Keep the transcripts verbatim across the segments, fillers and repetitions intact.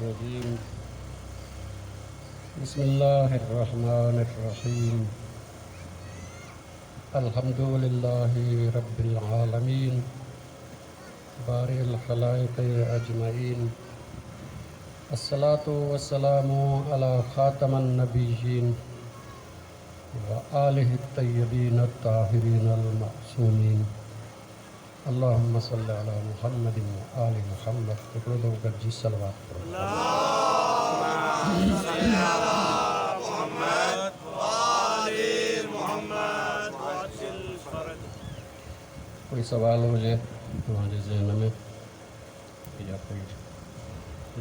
الرجيم بسم الله الرحمن الرحيم الحمد لله رب العالمين بارئ الخلائق أجمعين الصلاة والسلام على خاتم النبيين وآله الطيبين الطاهرين المعصومين اللهم صل على محمد وآل محمد. هڪڙو دفعو گڏجي صلوات پڙهو. اللهم صل على محمد وآل محمد وعجل فرجهم. ڪوئي سوال هجي توهان جي ذهن ۾ يا ڪوئي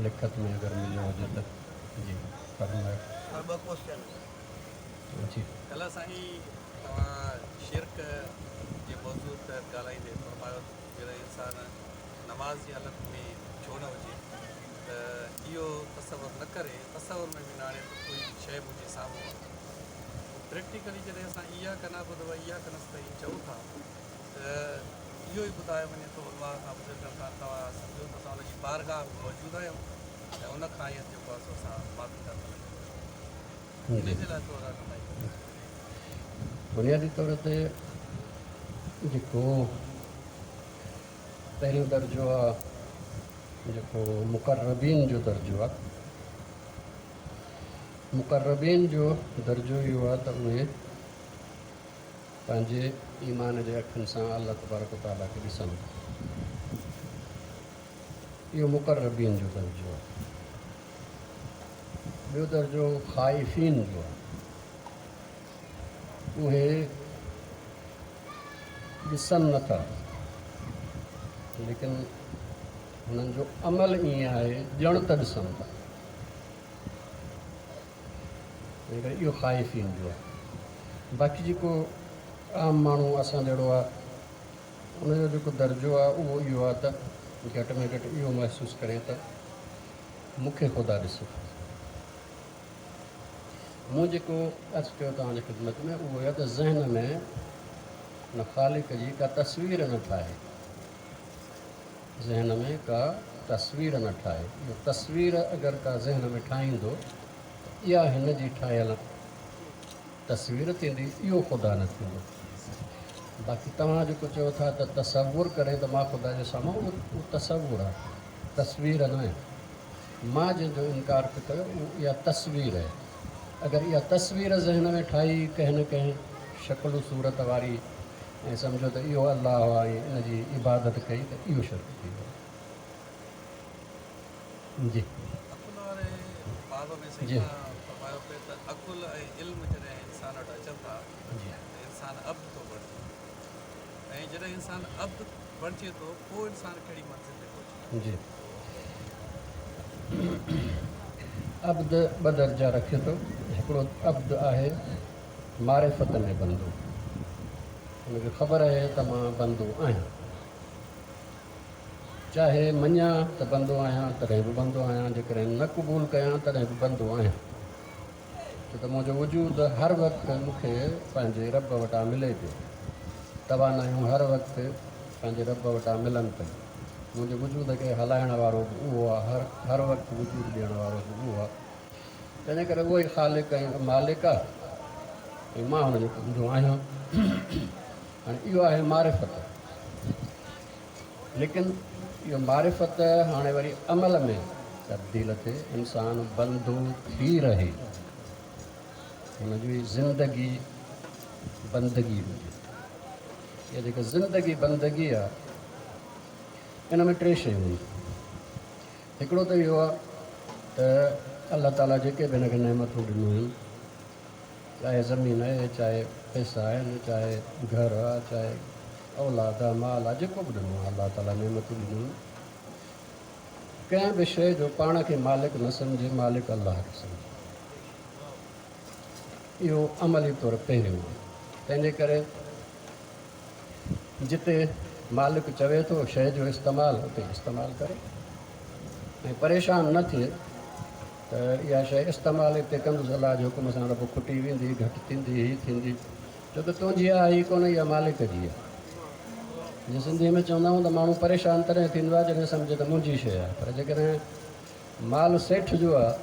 لکت ۾ اگر مليو هجي ته جي فرمايو. ٻه ڪوئسچن. جي. ڪلهه سائين توهان شرڪ جي موضوع تحت ڳالهائيندي فرمايو ته جڏهن انسان نماز جي حالت ۾ ڇو نه هجي ته اهو تصور نه ڪري، تصور ۾ به نه آڻي ته ڪوئي شيء منهنجي سامهون آهي. پريڪٽيڪلي جڏهن اسان اياڪ نعبد و اياڪ نستعين چئون ٿا ته اهو ئي ٻڌايو وڃي ٿو علماء کان، بزرگن کان، توهان سمجهو ته اسان ان جي بارگاهه ۾ موجود آهيون ۽ ان کان ئي جيڪو آهي سو اسان معافي ٿا طلب ڪيون. ان جي لاء ٿورو رهنمائي ڪريو. بنيادي طور تي جيڪو پهريون درجو آهي، جيڪو مقربين جو درجو آهي، مقربين جو درجو اهو آهي ته اهي پنهنجي ايمان جي اکين سان الله تبارڪ تعاليٰ کي ڏسن ٿا. اهو مقربين جو درجو آهي. ٻيو درجو خائفين جو آهي. اهي ڏسن نٿا ليڪن هنن جو عمل ائين آهي ڄڻ ته ڏسن ٿا. تنهن ڪري اهو خائفين جو آهي. باقي جيڪو عام ماڻهو اسان جهڙو آهي، ان جو جيڪو درجو آهي اهو اهو آهي ته گهٽ ۾ گهٽ اهو محسوس ڪري ته مون کي خدا ڏسي ٿو. مون جيڪو عرض ڪيو توهان جي خدمت ۾ اهو آهي ته ذهن ۾ ان خالق جي ڪا تصوير نه ٺاهي، ذهن ۾ ڪا تصوير نه ٺاهي. اهو تصوير اگر ڪا ذهن ۾ ٺاهيندو ته اها هن جي ٺاهيل تصوير ٿيندي، اهو خدا نه ٿيندو. باقي توهان جيڪو چئو ٿا ته تصور ڪري ته مان خدا جي سامهون، اهو تصور آهي، تصوير نه آهي. مان جنهن جو انڪار پيو ڪيو اهو اها تصوير آهي. اگر اها تصوير ذهن ۾ ٺاهي ڪنهن نه ڪنهن شڪل صورت واري ۽ سمجهو ته اهو الله آهي ۽ ان جي عبادت ڪئي ته اهو شرڪ ٿي ويو. جي. عقل واري باب ۾ سائين جي. توهان فرمايو پئي ته عقل ۽ علم جڏهن انسان وٽ اچن ٿا جي ته انسان عبد ٿو بڻجي، ۽ جڏهن انسان عبد بڻجي ٿو پوءِ انسان ڪهڙي منزل تي پهچي ٿو؟ جي، عبد ٻه درجا رکي ٿو. هڪڙو عبد آهي معرفت ۾ بندو، هن کي خبر آهي ته مان بندو آهيان، چاهي مڃان ته بندو آهيان تڏهن به بندو آهيان، جيڪڏهن نه قبول ڪيان تڏهن به بندو آهيان، ڇو ته منهنجو وجود هر وقت مون کي پنهنجي رب وٽان ملي پيو، توانايون هر وقت پنهنجي رب وٽان ملن پيون، منهنجي وجود کي هلائڻ وارو به اهو آهي، هر هر وقت وجود ڏيڻ وارو به اهو آهي. تنهن ڪري اهو ئي خالق ۽ مالڪ آهي ۽ مان هن جو بندو آهيان. هاڻي اهو آهي معرفت. ليڪن اهو معرفت هاڻي وري عمل ۾ تبديل ٿئي، انسان بندو ٿي رهي، هن جي زندگي بندگي هجي. اها جيڪا زندگي بندگي آهي ان ۾ ٽي شيون آهن. هڪڙو ته اهو آهي ته الله تعاليٰ جيڪي به هن کي نعمتون ڏنيون آهن، چاهي زمين آهي، چاهي پئسا آهن، چاهي گهر آهي، چاهي اولاد آهي، مال آهي، جيڪو به ڏنو آهي الله تعاليٰ نعمتون ڏنيون آهن، ڪنهن به شيءِ جو پاڻ کي مالڪ نه سمجهي، مالڪ الله کي سمجهي. اهو عملي طور پهريون آهي. تنهن جي ڪري جتي مالڪ چوي ٿو شيءِ جو استعمال، اتي استعمال ڪري ۽ پريشان نه ٿئي ته اها شيءِ استعمال هتي ڪندس الله جي حڪم سان ته پوءِ کٽي ويندي، گهٽ ٿيندي، هيءَ ٿيندي، ڇو ته تنهنجي آهي ئي ڪونه، اها مالڪ جي آهي. جيئن سنڌيءَ ۾ چوندا آهيون ته ماڻهو پريشان تڏهن ٿيندو آهي جڏهن سمجهي ته منهنجي شيءِ آهي، پر جيڪڏهن مال سيٺ جو آهي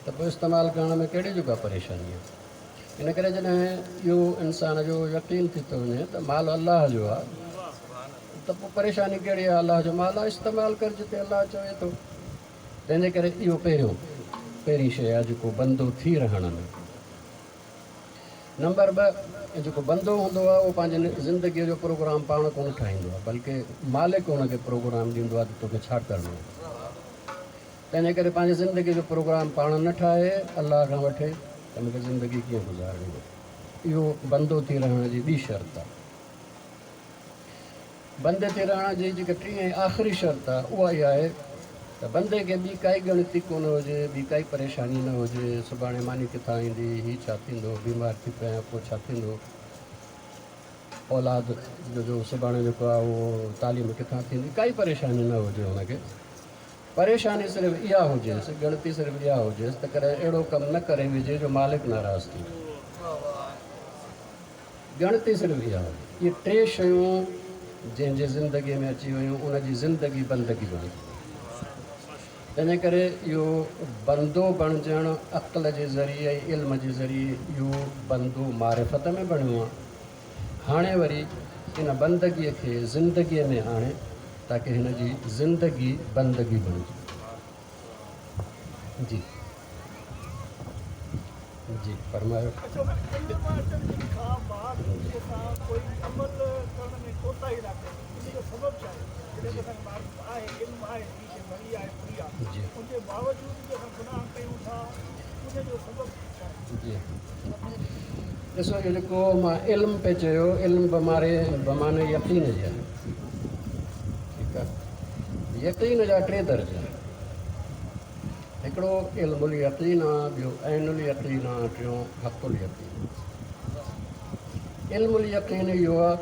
ته پوءِ استعمال ڪرڻ ۾ ڪهڙي جو ڪا پريشاني آهي؟ ان ڪري جڏهن اهو انسان جو يقين ٿي ٿو وڃي ته مال الله جو آهي ته پوءِ پريشاني ڪهڙي آهي؟ الله جو مال آهي، استعمال ڪر جتي الله چوي ٿو. تنهن جي ڪري اهو پهريون پهرين شيءِ آهي جيڪو بندو ٿي رهڻ ۾. نمبر ٻه، جيڪو بندو هوندو آهي اهو پنهنجي زندگيءَ جو پروگرام پاڻ ڪونه ٺاهيندو آهي، بلڪه مالڪ هن کي پروگرام ڏيندو آهي ته توکي ڇا ڪرڻو آهي. تنهن جي ڪري پنهنجي زندگيءَ جو پروگرام پاڻ نه ٺاهي، الله کان وٺي ته مون کي زندگي ڪيئن گذارڻي آهي. اهو بندو ٿي رهڻ جي ٻي شرط آهي. بندي ٿي رهڻ جي جيڪا ٽين ۽ آخري شرط آهي اها اها آهي ته بندي کي ٻي ڪائي ڳڻتي ڪونه هجي، ٻي ڪائي پريشاني نه هجي، سڀاڻي ماني ڪٿان ايندي، هيءُ ڇا ٿيندو، بيمار ٿي پيا پوءِ ڇا ٿيندو، اولاد جو جو سڀاڻي جيڪو آهي اهو تعليم ڪٿان ٿيندي، ڪائي پريشاني نه هجي هن کي. پريشاني صرف اها هجيس، ڳڻتي صرف اها هجيس ته ڪڏهن اهڙو ڪم نه ڪري وجهي جو مالڪ ناراض ٿئي. ڳڻتي صرف اها هجي. اهي ٽي شيون جنهن جي زندگيءَ ۾ اچي ويون ان جي زندگي بندگي بڻجي. تنهن جي ڪري اهو بندو بڻجڻ عقل جي ذريعي ۽ علم جي ذريعي اهو بندو معرفت ۾ بڻيو آهي. هاڻي وري ان بندگيءَ کي زندگيءَ ۾ آڻي تاڪه هن جي زندگي بندگي بڻجي. جي جي فرمايو. جي جي ڏسو اهو جيڪو مان علم پئي چيو، علم بماري بماني يقين جي آهي. ٺيڪ آهي. يقين جا ٽي درجا آهن. هڪڙو علم اليقين آهي، ٻيو عين اليقين آهي، ٽيون حق اليقين. علم اليقين اهو آهي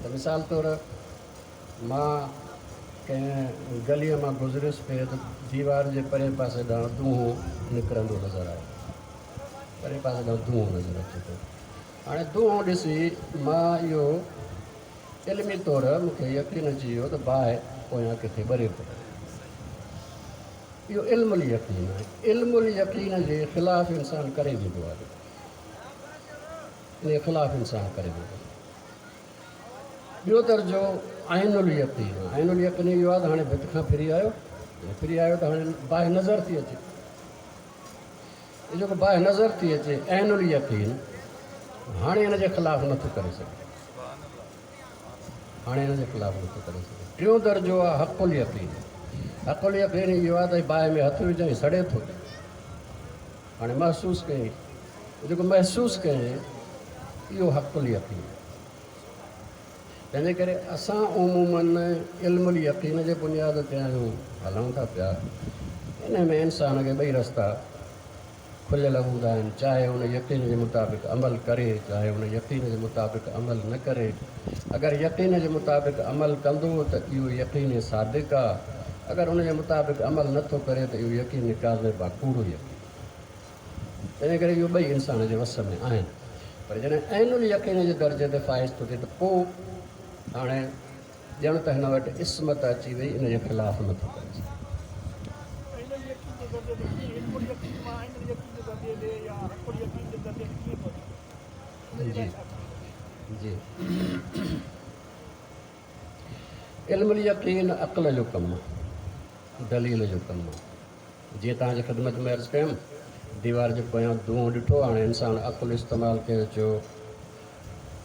ته مثال طور مان ڪنهن گليءَ مان گذريس پئي ته ديوار جي پري پاسي ڏانهن دونهون نڪرندو نظر آيو، پري پاسي ڏانهن دونهون نظر اچي ٿو. هاڻي دونهون ڏسي مان اهو علمي طور مون کي يقين اچي ويو ته باهه پويان ڪٿي ٻري پئي. اهو علم اليقين آهي. علم اليقين جي خلاف انسان ڪري ويندو آهي، ان جي خلاف انسان ڪري ويندو آهي. ٻيو درجو عين اليقين. عين اليقين اهو آهي ته هاڻي ڀت کان ڦري آيو، ڦري آيو ته هاڻي باهه نظر ٿي اچي. جيڪو باهه نظر ٿي اچي عين اليقين، هاڻي هن جي خلاف نٿو ڪري سگهي، هاڻي هن جي خلاف نٿو ڪري سگهي. ٽيون درجو آهي حق اليقين. حق اليقين اهو آهي ته باهه ۾ هٿ وجهئين سڙي ٿو، هاڻي محسوس ڪيئين، جيڪو محسوس ڪيئين اهو حق اليقين. تنهن جي ڪري اسان عمومن علم اليقين جي بنياد تي آهيون، هلون ٿا پيا. ان ۾ انسان کي ٻئي رستا کليل هوندا آهن، چاهي هن يقين جي مطابق عمل ڪري، چاهي هن يقين جي مطابق عمل نه ڪري. اگر يقين جي مطابق عمل ڪندو ته اهو يقين صادق آهي، اگر هن جي مطابق عمل نٿو ڪري ته اهو يقين ڪاذب آهي، ڪوڙو يقين. تنهن ڪري اهو ٻئي انسان جي وس ۾ آهن. پر جڏهن عين اليقين جي درجي تي فائز ٿو ٿئي ته پوءِ هاڻي ڄڻ ته هن وٽ عصمت اچي وئي، ان جي خلاف نٿو ڪري سگهي. جي جي علم اليقين عقل جو ڪم آهي، دليل جو ڪم آهي. جيئن توهان جي خدمت ۾ عرض ڪيم، ديوار جي پويان دونهون ڏٺو، هاڻي انسان عقل استعمال ڪيو، چيو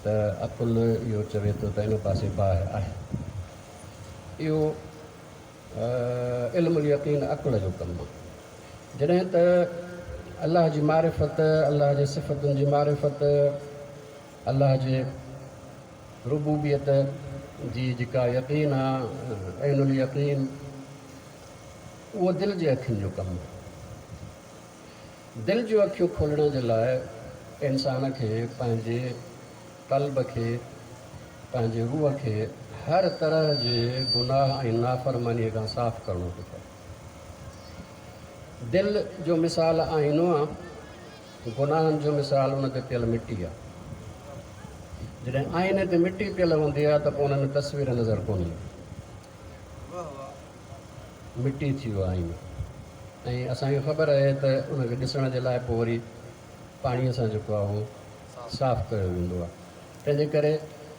ته عقل اهو چوي ٿو ته ان پاسي باهه آهي. اهو علم اليقين عقل جو ڪم آهي. جڏهن ته الله جي معرفت، الله جي صفتن جي معرفت، الله جي ربوبيت جي جيڪا يقين آهي، عين اليقين، اهو دل جي اکين جو ڪم آهي. دل جون اکيون کولڻ جي لاءِ انسان کي پنهنجي قلب کي، پنهنجي روح کي هر طرح جي گناهه ۽ نافرمانيءَ کان صاف ڪرڻو ٿو پئي. دل جو مثال آئينو آهي، گناهن جو مثال ان تي پيل مٽي آهي. جڏهن آئيني تي مٽي پيل هوندي آهي ته پوءِ ان ۾ تصوير نظر ڪونه ايندي، مٽي ٿي ويو آئينو. ۽ اسان کي خبر آهي ته ان کي ڏسڻ جي لاءِ پوءِ وري پاڻيءَ سان جيڪو آهي اهو صاف ڪيو ويندو آهي. تنهن جي ڪري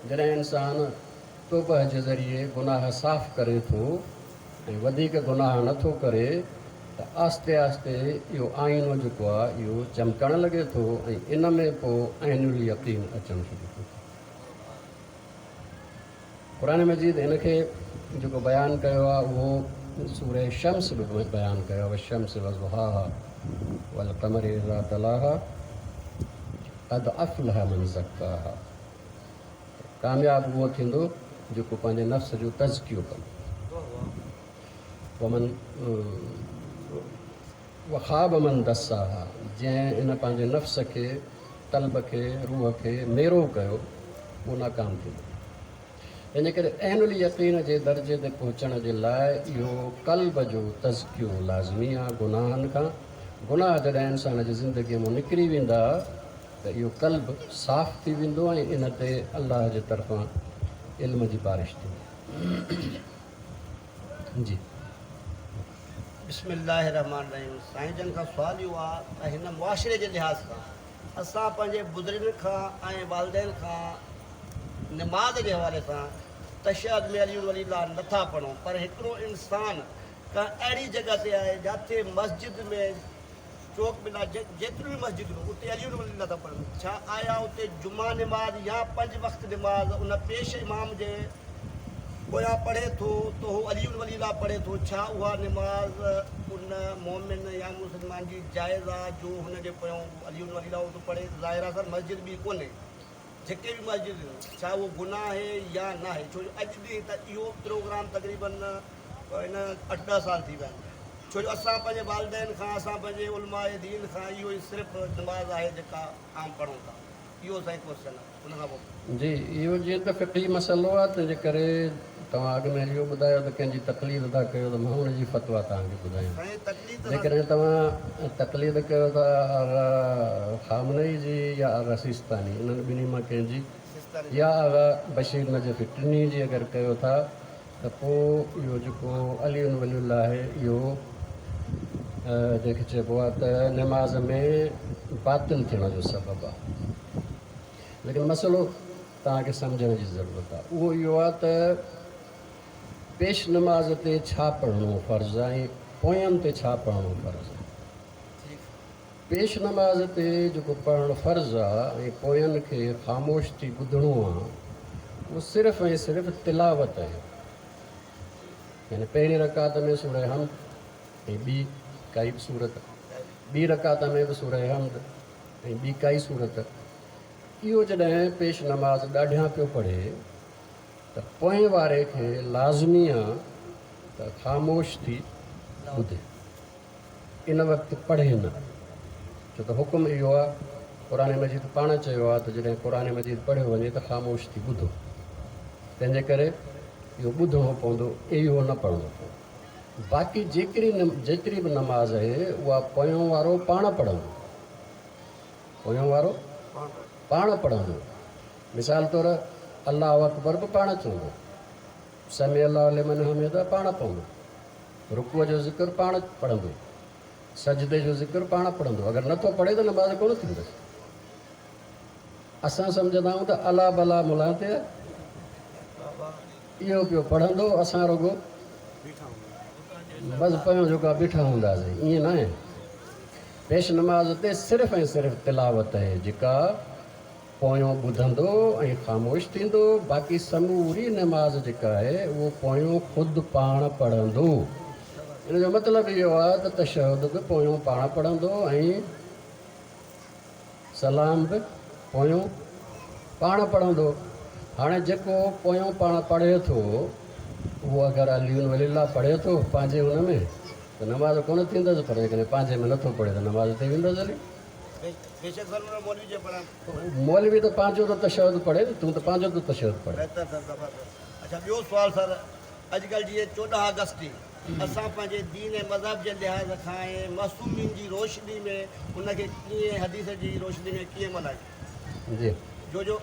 جڏهن انسان توبه جي ذريعي گناهه صاف ڪري ٿو ۽ وڌيڪ گناهه نٿو ڪري ته آهستي آهستي اهو آئينو جيڪو آهي اهو چمڪڻ لڳي ٿو ۽ ان ۾ پوءِ عين يقين اچڻ شروع ٿو ٿئي. قرآن مجيد هن کي جيڪو بيان ڪيو آهي اهو سورة شمس به بيان ڪيو آهي. والشمس وضحاها والقمر اذا تلاها قد افلح من زڪاها. ڪامياب اهو ٿيندو جيڪو پنهنجي نفس جو تزڪيو ڪندو. ومن وخاب من دساها، جنهن ان پنهنجي نفس کي، قلب کي، روح کي ميرو ڪيو اهو ناڪام ٿيندو. ان ڪري عين يقين جي درجي تي پهچڻ جي لاءِ اهو قلب جو تزڪيو لازمي آهي. گناهن کان گناهه جڏهن انسان جي زندگيءَ مان نڪري ويندا ته اهو قلب صاف ٿي ويندو ۽ ان تي الله جي طرفان علم جي بارش ٿيندي. جي بسم الله الرحمن الرحيم. سائين جن کان سوال اهو آهي ته هن معاشري جي لحاظ کان اسان پنهنجي بزرگن کان ۽ والدين کان نماز جي حوالي سان تشهد ۾ علي ولي الله نٿا پڙهون، پر هڪڙو انسان ڪا اهڙي جڳهه تي آهي جتي مسجد ۾ چوڪ ۾ جيتريون به مسجدون اتي علي ولي الله ٿا پڙهن، ڇا آيا اتي جمعا نماز يا پنج وقت نماز ان پيش امام جي پويان پڙهي ٿو ته هو علي ولي الله پڙهي ٿو، ڇا اها نماز ان مومن يا مسلمان جي جائز آهي جو هن جي پويان علي ولي الله ٿو پڙهي؟ ظاهر آهي سر مسجد به ڪونهي، جيڪي به مسجد ڇا اهو گناهه آهي يا نه آهي؟ ڇو جو اڄ ڏينهن ته اهو پروگرام تقريبن هن اٺ ڏهه سال ٿي ويا آهن. ڇو جو اسان پنهنجي والدين کان، اسان پنهنجي علماء دين کان اهو ئي صرف نماز آهي جيڪا عام پڙهون ٿا. اهو سائين ڪوئسچن آهي. ان کان پوءِ جي اهو جيئن ته فقهي مسئلو آهي، تنهن جي ڪري توهان اڳ ۾ اهو ٻڌايو ته ڪنهن جي تقليد ٿا ڪيو ته مان هن جي فتوا توهان کي ٻڌايان. جيڪڏهن توهان تقليد ڪيو ٿا آغا خامنئي جي يا آغا سيستاني، انهن ٻنهي مان ڪنهن جي، يا آغا بشير نجفي، ٽنهي جي اگر ڪيو ٿا ته پوءِ اهو جيڪو علي ولي الله آهي اهو جنهن کي چئبو آهي ته نماز ۾ باطل ٿيڻ جو سبب آهي. ليڪن مسئلو توهان کي سمجهڻ جي ضرورت آهي. اهو اهو آهي ته پيش نماز تي ڇا پڙهڻو فرض آهي ۽ پوين تي ڇا پڙهڻو فرض آهي. پيش نماز تي جيڪو پڙهڻ فرض آهي ۽ پوين کي خاموش ٿي ٻڌڻو آهي اهو صرف ۽ صرف تلاوت آهي. يعني پهرين رڪعت ۾ سورة حمد ۽ ٻي ڪائي به سورت، ٻي رڪعت ۾ به سورة حمد ۽ ٻي ڪائي سورت. اهو جڏهن پيش نماز ڏاڍيان پيو پڙهي ته پوئين واري کي لازمي آهي ته خاموش ٿي ٻڌي، ان وقت پڙهي نه. ڇو ته حڪم اهو آهي، قرآن مجيد پاڻ چيو آهي ته جڏهن قرآن مجيد پڙهيو وڃي ته خاموش ٿي ٻڌو. تنهن جي ڪري اهو ٻڌڻو پوندو، اهو نه پڙهڻو پوندو. باقي جيڪري جيتري به نماز آهي اها پويون وارو پاڻ پڙهندو، پويون وارو پاڻ پڙهندو. مثال طور الله اڪبر به پاڻ چوندو، سمع الله لمن حمده پاڻ پوندو، رڪوع جو ذڪر پاڻ پڙهندو، سجدي جو ذڪر پاڻ پڙهندو. اگر نٿو پڙهي ته نماز ڪونه ٿيندس. اسان سمجهندا آهيون ته الا بلا ملا تي اهو پيو پڙهندو، اسان رڳو بس پيون جيڪا بيٺا هونداسين. ائين نه آهي. پيش نماز تي صرف ۽ صرف تلاوت آهي جيڪا پويون ٻڌندو ۽ خاموش ٿيندو. باقي سموري نماز جيڪا آهي اهو پويون خود پاڻ پڙهندو. ان جو مطلب اهو آهي ته تشهد به پويون پاڻ پڙهندو ۽ سلام به پويون پاڻ پڙهندو. هاڻي جيڪو پويون پاڻ پڙهي ٿو اهو اگر علي ولي الله پڙهي ٿو پنهنجي هن ۾ ته نماز ڪونه ٿيندس، پر جيڪڏهن پنهنجي ۾ نٿو پڙهي ته نماز ٿي ويندس هلي. مولوي ته پنهنجو ته تشهد پڙهي نه، تون ته پنهنجو ٿو تشهد پڙهي. اڇا ٻيو سوال سر، اڄڪلهه جيئن چوڏهن آگسٽ تي اسان پنهنجي دين ۽ مذهب جي لحاظ کان ۽ معصومين جي روشني ۾ ان کي ڪيئن حديث جي روشني ۾ ڪيئن ملهايون؟ جي جو جو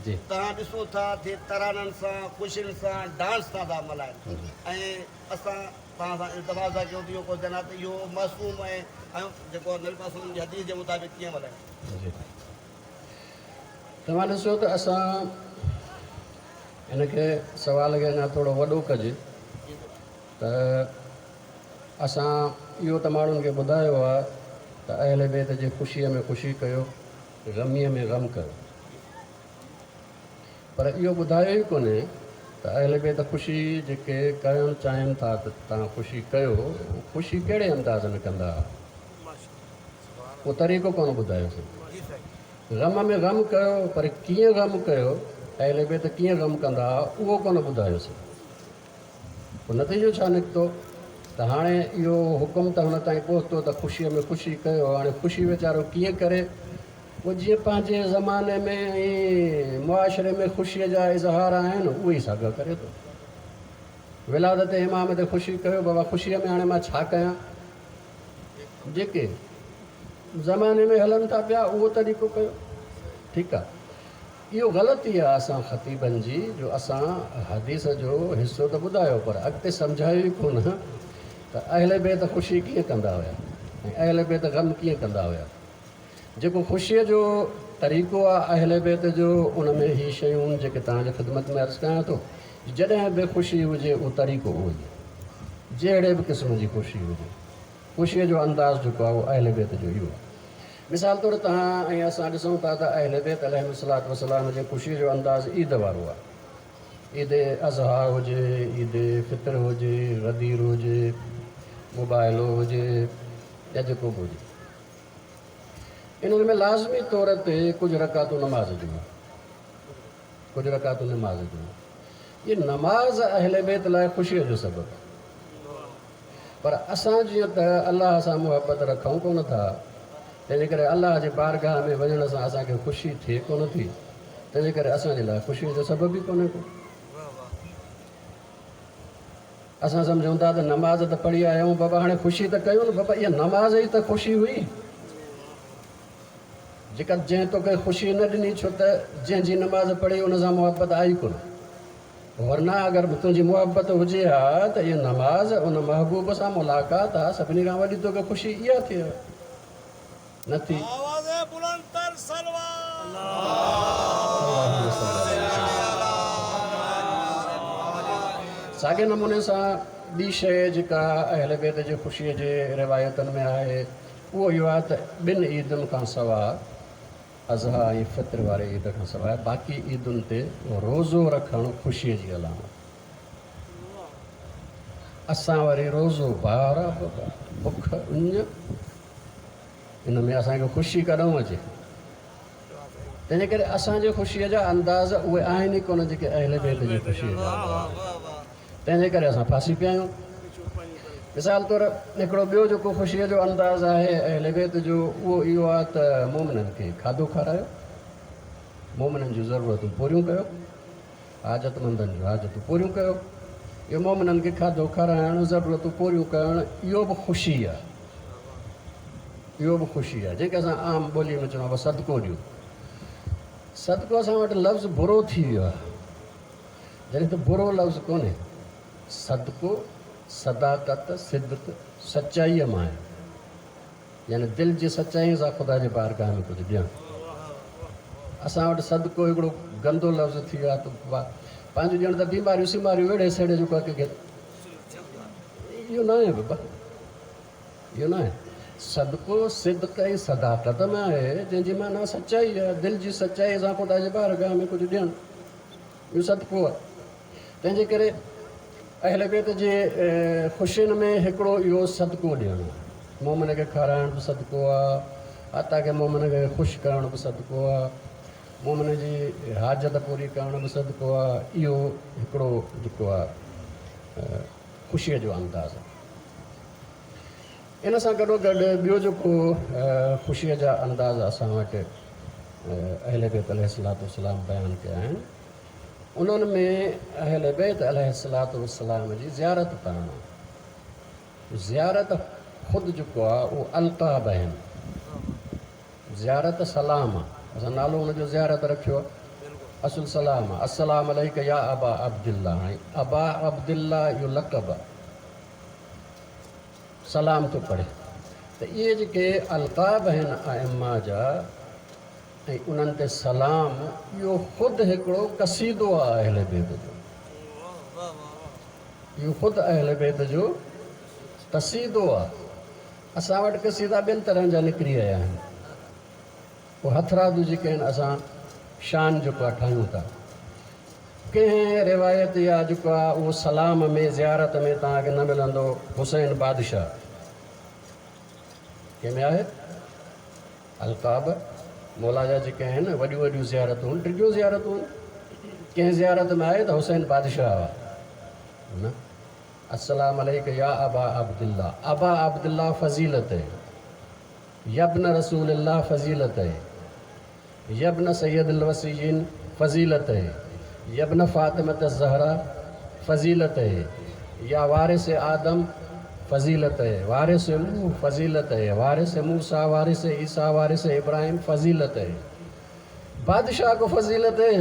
جي توهان ڏسو ٿا ٿئي ترانن سان، خوشين سان، ڊانس سان ٿا ملهائن ۽ اسان توهان سان التماس ٿا ڪيون ته اهو ڪوئسچن آهي ته اهو معصوم ۽ ۽ جيڪو نبي پاڪ صلعم جي حديث جي مطابق ڪيئن ملهايون. جي توهان ڏسو ته اسان هن کي سوال کي اڃا ٿورو وڏو ڪجي ته اسان اهو ته ماڻهن کي ٻڌايو آهي ته اهل بيت جي خوشيءَ ۾ خوشي ڪيو، غميءَ ۾ غم ڪيو، پر اهو ٻڌايو ئي ڪونهي ته اهل بيت خوشي جيڪي ڪرڻ چاهين ٿا ته توهان خوشي ڪيو، خوشي ڪهڙي انداز ۾ ڪندا؟ اهو طريقو ڪونه ٻڌايوسين. غم ۾ غم ڪيو، پر ڪيئن غم ڪيو، اهل بيت ڪيئن غم ڪندا، اهو ڪونه ٻڌايوسين. پوءِ نتيجو ڇا نڪتو ته هاڻي اهو حڪم ته هن تائين پهتو ته خوشيءَ ۾ خوشي ڪيو، هاڻي خوشي ويچارو ڪيئن ڪري؟ پوءِ جيئن پنهنجي زماني ۾ ۽ معاشري ۾ خوشيءَ جا اظهار آهن اهي ئي ساڳيا ڪري ٿو. ولادت امام تي خوشي ڪيو، بابا خوشيءَ ۾ هاڻي مان ڇا ڪيان؟ جيڪي زماني ۾ هلن ٿا پيا اهو طريقو ڪيو. ٺيڪ آهي، اهو غلطي آهي اسان خطيبن جي جو اسان حديث جو حصو ته ٻڌايو پر اڳتي سمجهايو ئي ڪونه ته اهل بيت خوشي ڪيئن ڪندا هئا ۽ اهل بيت غم ڪيئن ڪندا هئا. جيڪو خوشيءَ جو طريقو آهي اهل بيت جو، ان ۾ هي شيون جيڪي توهان جي خدمت ۾ عرض ڪيان ٿو، جڏهن به خوشي هجي اهو طريقو اهو ئي آهي، جهڙي به قسم جي خوشي هجي، خوشيءَ جو انداز جيڪو آهي اهو اهل بيت جو اهو آهي. مثال طور توهان ۽ اسان ڏسون ٿا ته اهل بيت عليهم الصلوة والسلام جي خوشيءَ جو انداز عيد وارو آهي. عيد اضحيٰ هجي، عيد فطر هجي، غدير هجي، مباهلو هجي يا جيڪو به هجي، انهن ۾ لازمي طور تي ڪجهه رڪعتون نماز جون، ڪجهه رڪعتون نماز جون. اها نماز اهل بيت لاءِ خوشيءَ جو سبب آهي، پر اسان جيئن ته الله سان محبت رکون ڪونه ٿا، تنهن جي ڪري الله جي بارگاهه ۾ وڃڻ سان اسان کي خوشي ٿئي ڪونه ٿي، تنهن جي ڪري اسان جي لاءِ خوشيءَ جو سبب ئي ڪونهي ڪو. اسان سمجهون ٿا ته نماز ته پڙهي آيا آهيون بابا، هاڻي خوشي ته ڪيون نه بابا، اها نماز ئي ته خوشي هئي جيڪا جنهن توکي خوشي نه ڏني، ڇو ته جنهن جي نماز پڙهي ان سان محبت آئي ڪونه. ورنه اگر تنهنجي محبت هجي ها ته اها نماز ان محبوب سان ملاقات آهي، سڀني کان وڏي توکي خوشي اها ٿئي ها، نه ٿي. ساڳي نموني سان ٻي شيءِ جيڪا اهل بيت جي خوشيءَ جي روايتن ۾ آهي اهو اهو آهي ته ٻن عيدن کان سواءِ، اضحيٰ ۽ فطر واري عيد کان سواءِ باقي عيدن تي روزو رکڻ خوشيءَ جي علامت. اسان وري روزو ٻار بک اڃ، ان ۾ اسان کي خوشي ڪڏهن اچي؟ تنهن جي ڪري اسان جي خوشيءَ جا انداز اهي آهن ئي ڪونه جيڪي اهل بيت جي خوشيءَ جا انداز. تنهن جي ڪري اسان ڦاسي پيا آهيون. مثال طور هڪڙو ٻيو جيڪو خوشيءَ جو انداز آهي اهل بيت جو اهو اهو آهي ته مومنن کي کاڌو کارايو، مومنن جون ضرورتون پوريون ڪيو، حاجتمندن جون حاجتون پوريون ڪيو. اهو مومنن کي کاڌو کارائڻ، ضرورتون پوريون ڪرڻ، اهو به خوشي آهي، اهو به خوشي آهي. جيڪي اسان عام ٻوليءَ ۾ چوندا آهيون صدقو ڏيون. صدقو اسان وٽ لفظ برو ٿي ويو آهي، جڏهن ته برو لفظ ڪونهي. صدقو صداقت، صدق، سچائيءَ مان آهي، يعني دل جي سچائيءَ سان خدا جي بارگاهه ۾ ڪجهه ڏيڻ. اسان وٽ صدقو هڪڙو گندو لفظ ٿي ويو آهي ته پنهنجو ڄڻ ته بيماريون سيماريون ويڙهي سيڙهي جيڪو آهي ڪنهن کي، اهو نه آهي بابا، اهو نه آهي. صدقو صدق ۽ صداقت ۾ آهي، جنهن جي معنيٰ سچائي آهي، دل جي سچائيءَ سان خدا جي بارگاهه ۾ ڪجهه ڏيڻ، اهو صدقو آهي. تنهن جي ڪري اهل بيت جي خوشين ۾ هڪڙو اهو صدقو ڏيڻ آهي. مومن کي کارائڻ به صدقو آهي، حتيٰ ڪه مومن کي خوش ڪرڻ به صدقو آهي، مومن جي حاجت پوري ڪرڻ به صدقو آهي. اهو هڪڙو جيڪو آهي خوشيءَ جو انداز آهي. ان سان گڏو گڏ ٻيو جيڪو خوشيءَ جا انداز اسان وٽ اهل بيت عليه الصلوة والسلام بيان ڪيا آهن، انهن ۾ اهل بيت عليه الصلوة والسلام جي زيارت ڪرڻ آهي. زيارت خود جيڪو آهي اهو القاب آهن. زيارت سلام آهي، اسان نالو هن جو زيارت رکيو آهي، اصل سلام آهي. السلام عليڪ يا ابا عبدالله. هاڻي ابا عبدالله اهو لقب آهي، سلام ٿو پڙهي. ته اهي جيڪي القاب آهن ائمه جا ۽ انهن تي سلام، اهو خود هڪڙو قصيدو آهي اهل بيت جو. اهو خود اهل بيت جو قصيدو آهي. اسان وٽ قصيدا ٻين طرحن جا نڪري آيا آهن. پوءِ هٿرادو جيڪي آهن اسان شان جيڪو آهي ٺاهيون ٿا. ڪنهن روايت يا جيڪو آهي اهو سلام ۾ زيارت ۾ توهان کي نه ملندو. حسين بادشاهه ڪنهن ۾ آهي؟ القاب مولا جا جيڪي آهن وڏيون وڏيون زيارتون آهن، ڊگهيون زيارتون آهن. ڪنهن زيارت ۾ آهي ته حسين بادشاهه آهي نه. السلام عليڪ يا ابا عبدالله. ابا عبدالله فضيلت है، यब्न रसूल अल्लाह फजीलत है، यब्न सैयद الوصيين फजीलत है، यब्न फातिमत ज़हरा फजीलत है، या वारिस आदम फजीलत है، वारिस नूह फजीलत है، वारिस मूसा، वारिस ईसा، वारिस इब्राहिम फजीलत है. बादशाह को फजीलत है,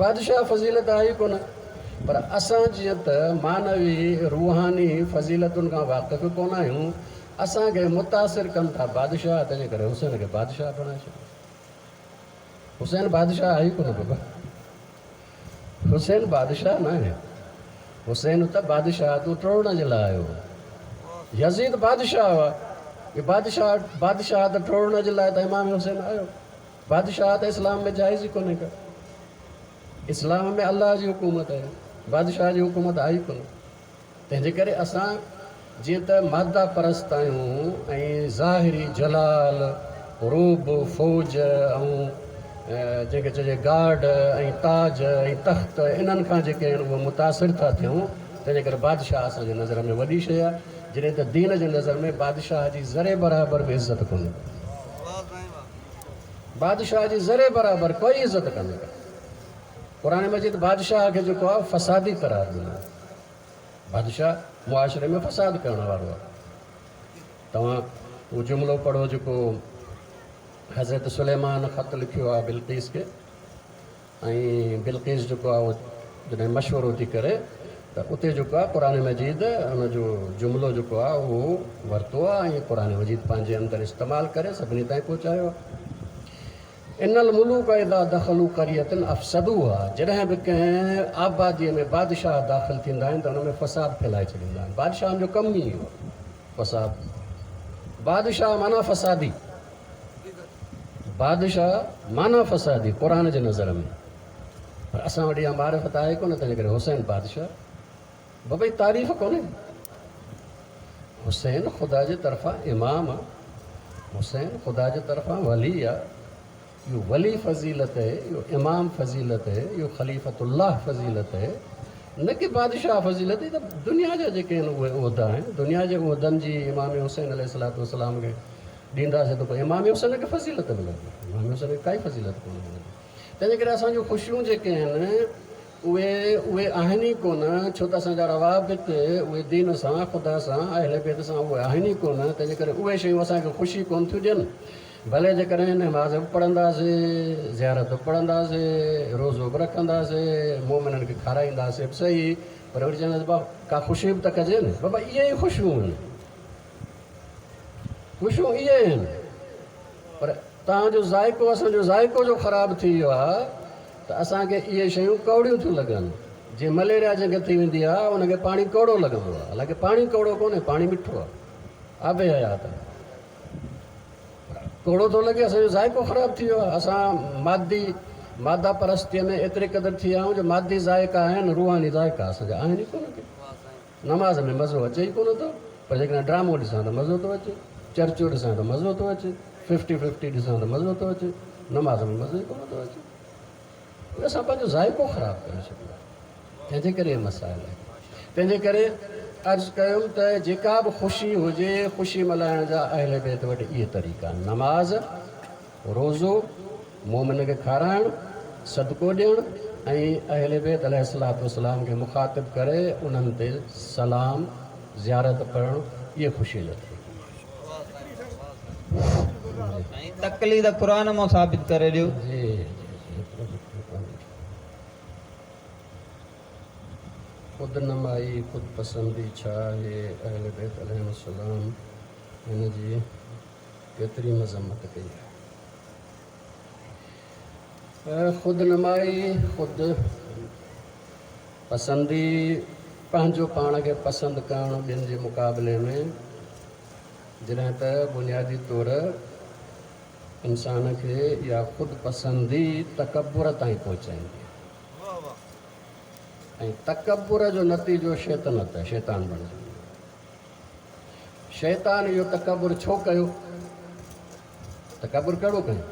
बादशाह फजीलत आहे कोन. पर असां जीअं त मानवी रूहानी फज़ीलतुनि खां वाक़िफ़ कोन आहियूं, असांखे मुतासिर कनि था बादशाह, तंहिंजे करे हुसैन खे बादशाह बणाए छॾियो. हुसैन बादशाह आहे ई कोन बाबा, हुसैन बादशाह न आहे. हुसैन त बादशाह तूं टोड़ण जे लाइ आयो. यज़ीद बादशाह आहे, बादशाह बादशाह त टोड़ण जे लाइ त इमाम हुसैन आयो. बादशाह त इस्लाम में जाइज़ ई कोन्हे का. इस्लाम में अल्लाह जी हुकूमत आहे, बादशाह जी हुकूमत आई कोन. तंहिंजे करे असां जीअं त मादा परस्त आहियूं ऐं ज़ाहिरी जलाल रूब फौज ऐं जंहिंखे चइजे गार्ड ऐं ताज ऐं तख़्त, इन्हनि खां जेके आहिनि उहे मुतासिर था थियूं. तंहिंजे करे बादशाह असांजे नज़र में वॾी शइ आहे, जॾहिं त दीन जे नज़र में बादशाह जी ज़रे बराबरि बि इज़त कोन्हे. बादशाह जी ज़रे बराबरि कोई इज़त कोन्हे. क़ुरान मजीद बादशाह खे जेको आहे फसादी करार ॾिनो आहे. बादशाह मुआशरे में फसाद करण वारो आहे. तव्हां उहो जुमिलो पढ़ो जेको हज़रत सुलेमान ख़त लिखियो आहे बिल्किस खे, ऐं बिल्किस जेको आहे उहो जॾहिं मशवरो थी करे त उते जेको आहे क़ुरान मजीद हुनजो जुमिलो जेको आहे उहो वरितो आहे ऐं क़ुरान मजीद पंहिंजे अंदरि इस्तेमालु करे सभिनी ताईं पहुचायो आहे. इनल मुलूक इदा दख़लू क़रियतन अफ़सदूहा. जॾहिं बि कंहिं आबादीअ में बादशाह दाख़िल थींदा आहिनि त हुन में फसाद फैलाए छॾींदा आहिनि. बादशाहनि जो कमु ई इहो आहे फसाद. बादशाह माना फसादी, बादशाह माना फसादी क़ुरान जे नज़र में. पर असां वटि इहा मारिफ़त आहे कोन, तंहिंजे करे हुसैन बादशाह बाबा ई तारीफ़ कोन्हे. हुसैन ख़ुदा जे तरफ़ां इमाम आहे, हुसैन ख़ुदा जे तरफ़ां वली आहे. इहो वली फज़ीलत है, इहो इमाम फज़ीलत है, इहो ख़लीफ़तुल्लाह फज़ीलत है, न की बादशाह फज़ीलत. त दुनिया जा जेके आहिनि उहे उहिदा आहिनि. दुनिया जे उहिदनि जी इमाम हुसैन अलैहिस्सलातु वस्सलाम खे ॾींदासीं त पोइ इमाम हुसैन खे फज़ीलत मिलंदी, इमाम हुसैन खे काई फज़ीलत कोन मिलंदी. तंहिंजे करे असांजूं ख़ुशियूं जेके आहिनि उहे उहे आहिनि ई कोन, छो त असांजा रवाबित उहे दीन सां, ख़ुदा सां, अहल बैत सां उहे आहिनि ई कोन. तंहिंजे करे उहे शयूं असांखे ख़ुशी कोन थियूं ॾियनि. भले जेकॾहिं नमाज़ बि पढ़ंदासीं, ज़ियारत बि पढ़ंदासीं, रोज़ो बि रखंदासीं, मोमिननि खे खाराईंदासीं बि सही, पर वरी चवंदासीं बाबा का ख़ुशी बि त कजे न. बाबा इहे ई ख़ुशियूं आहिनि, ख़ुशियूं इहे आहिनि. पर तव्हांजो ज़ाइको असांजो ज़ाइको जो ख़राबु थी वियो आहे त असांखे इहे शयूं कौड़ियूं थियूं लॻनि. जीअं मलेरिया जंहिंखे थी वेंदी आहे हुनखे पाणी कौड़ो लॻंदो आहे, हालांकि पाणी कौड़ो कोन्हे, पाणी मिठो आहे, आबे हयात आहे, कौड़ो थो लॻे. असांजो ज़ाइको ख़राबु थी वियो आहे. असां मादी मादा परस्तीअ में एतिरे क़दुरु थी विया आहियूं जो मादी ज़ाइका आहिनि, रूहानी ज़ाइका असांजा आहिनि ई कोन. नमाज़ में मज़ो अचे ई कोन थो, पर जेकॾहिं ड्रामो ॾिसां त मज़ो थो अचे, चर्चो ॾिसां त मज़ो थो अचे, फिफ्टी फिफ्टी ॾिसां त मज़ो थो अचे, नमाज़ में मज़ो ई कोन थो अचे. असां पंहिंजो ज़ाइको ख़राबु करे छॾियो आहे, तंहिंजे करे मसाइल आहे. तंहिंजे करे अर्ज़ु कयुमि त जेका बि ख़ुशी हुजे, ख़ुशी मल्हाइण जा अहल बैत वटि इहे तरीक़ा आहिनि: नमाज़, रोज़ो, मोमिन खे खाराइणु, सदको ॾियणु ऐं अहल बैत अलैहिस्सलातु वस्सलाम खे मुखातिब करे उन्हनि ते सलाम, ज़ियारत पढ़णु, इहे ख़ुशी जो तरीक़ो. तक़लीद क़ुरान मां साबित करे ॾियो. जी। خود نمائي، خود پسندي ڇا آهي؟ اهل بيت عليهم السلام هن جي ڪيتري مذمت ڪئي آهي. خود نمائي، خود پسندي، پنهنجو پاڻ کي پسند ڪرڻ ٻين جي مقابلي ۾، جڏهن ته بنيادي طور انسان کي اها خود پسندي تڪبر تائين پهچائيندي ۽ تڪبر جو نتيجو شيطنت آهي، شيطان بڻجي ويندو. شيطان اهو تڪبر ڇو ڪيو؟ تڪبر ڪهڙو ڪيو؟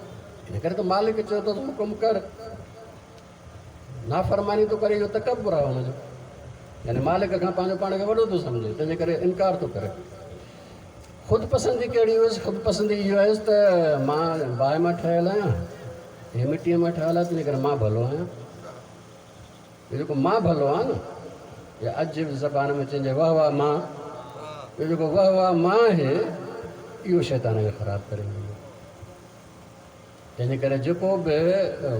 ان ڪري ته مالڪ چيو اٿس حڪم ڪر، نافرماني ٿو ڪري، اهو تڪبر آهي هن جو، يعني مالڪ کان پنهنجو پاڻ کي وڏو ٿو سمجهي، تنهنجي ڪري انڪار ٿو ڪري. خود پسندي ڪهڙي هيس؟ خود پسندي اهو هيس ته مان باهه مان ٺهيل آهيان، هي مٽيء مان ٺهيل آهي، تنهنجي ڪري مان ڀلو آهيان. اهو جيڪو مان ڀلو آهيان نه، يا اڄ جي زبان ۾ چئجي واهه واهه مان، اهو جيڪو واهه واهه مان آهي، اهو شيطان کي خراب ڪري ويندو. تنهنجي ڪري جيڪو به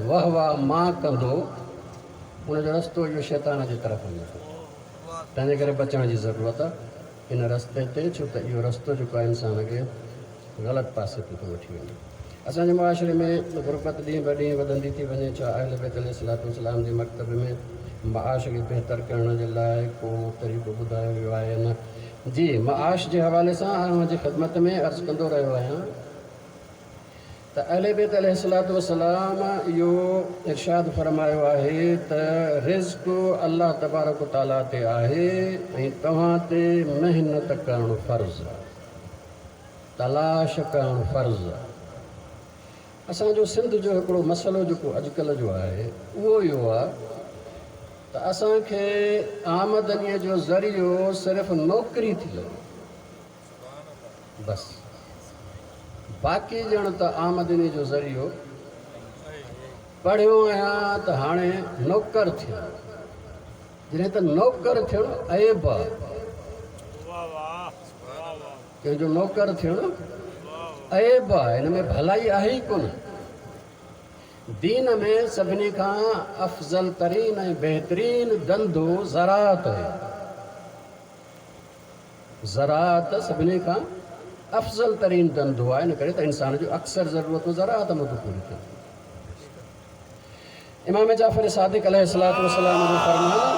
واهه واهه مان ڪندو، ان جو رستو اهو شيطان جي طرف وڃي ٿو. تنهنجي ڪري بچڻ جي ضرورت آهي ان رستي تي، ڇو ته اهو رستو جيڪو آهي انسان کي غلط پاسي تي ٿو وٺي وڃي. اسان جي معاشري ۾ غربت ڏينهن به ڏينهن وڌندي ٿي وڃي. ڇا اهل بيت عليه الصلوة والسلام جي مڪتب ۾ معاش کي بهتر ڪرڻ جي لاء ڪو طريقو ٻڌايو ويو آهي يا نه؟ جي، معاش جي حوالي سان اوهان جي خدمت ۾ عرض ڪندو رهيو آهيان ته اهل بيت عليه الصلوة والسلام اهو ارشاد فرمايو آهي ته رزق الله تبارڪ و تعاليٰ تي آهي ۽ توهان تي محنت ڪرڻ فرض آهي، تلاش ڪرڻ فرض آهي. اسان جو سنڌ جو هڪڙو مسئلو جيڪو اڄڪلهه جو آهي اهو اهو آهي ته اسان کي آمدنيء جو ذريعو صرف نوڪري ٿي لڳي، بس باقي ڄڻ ته آمدني جو ذريعو پڙهيو آهيان ته هاڻي نوڪر ٿيان، جڏهن ته نوڪر ٿيڻ عيب آهي. ڪنهن جو نوڪر ٿيڻ عيب آهي، هن ۾ ڀلائي آهي ئي ڪونه. دين ۾ سڀني کان افضل ترين ۽ بهترين ڌنڌو زراعت آهي. زراعت سڀني کان افضل ترين ڌنڌو آهي، ان ڪري ته انسان جون اڪثر ضرورتون زراعت مان ٿيون پوريون ٿين. امام جعفر صادق عليه الصلوة والسلام جو فرمان،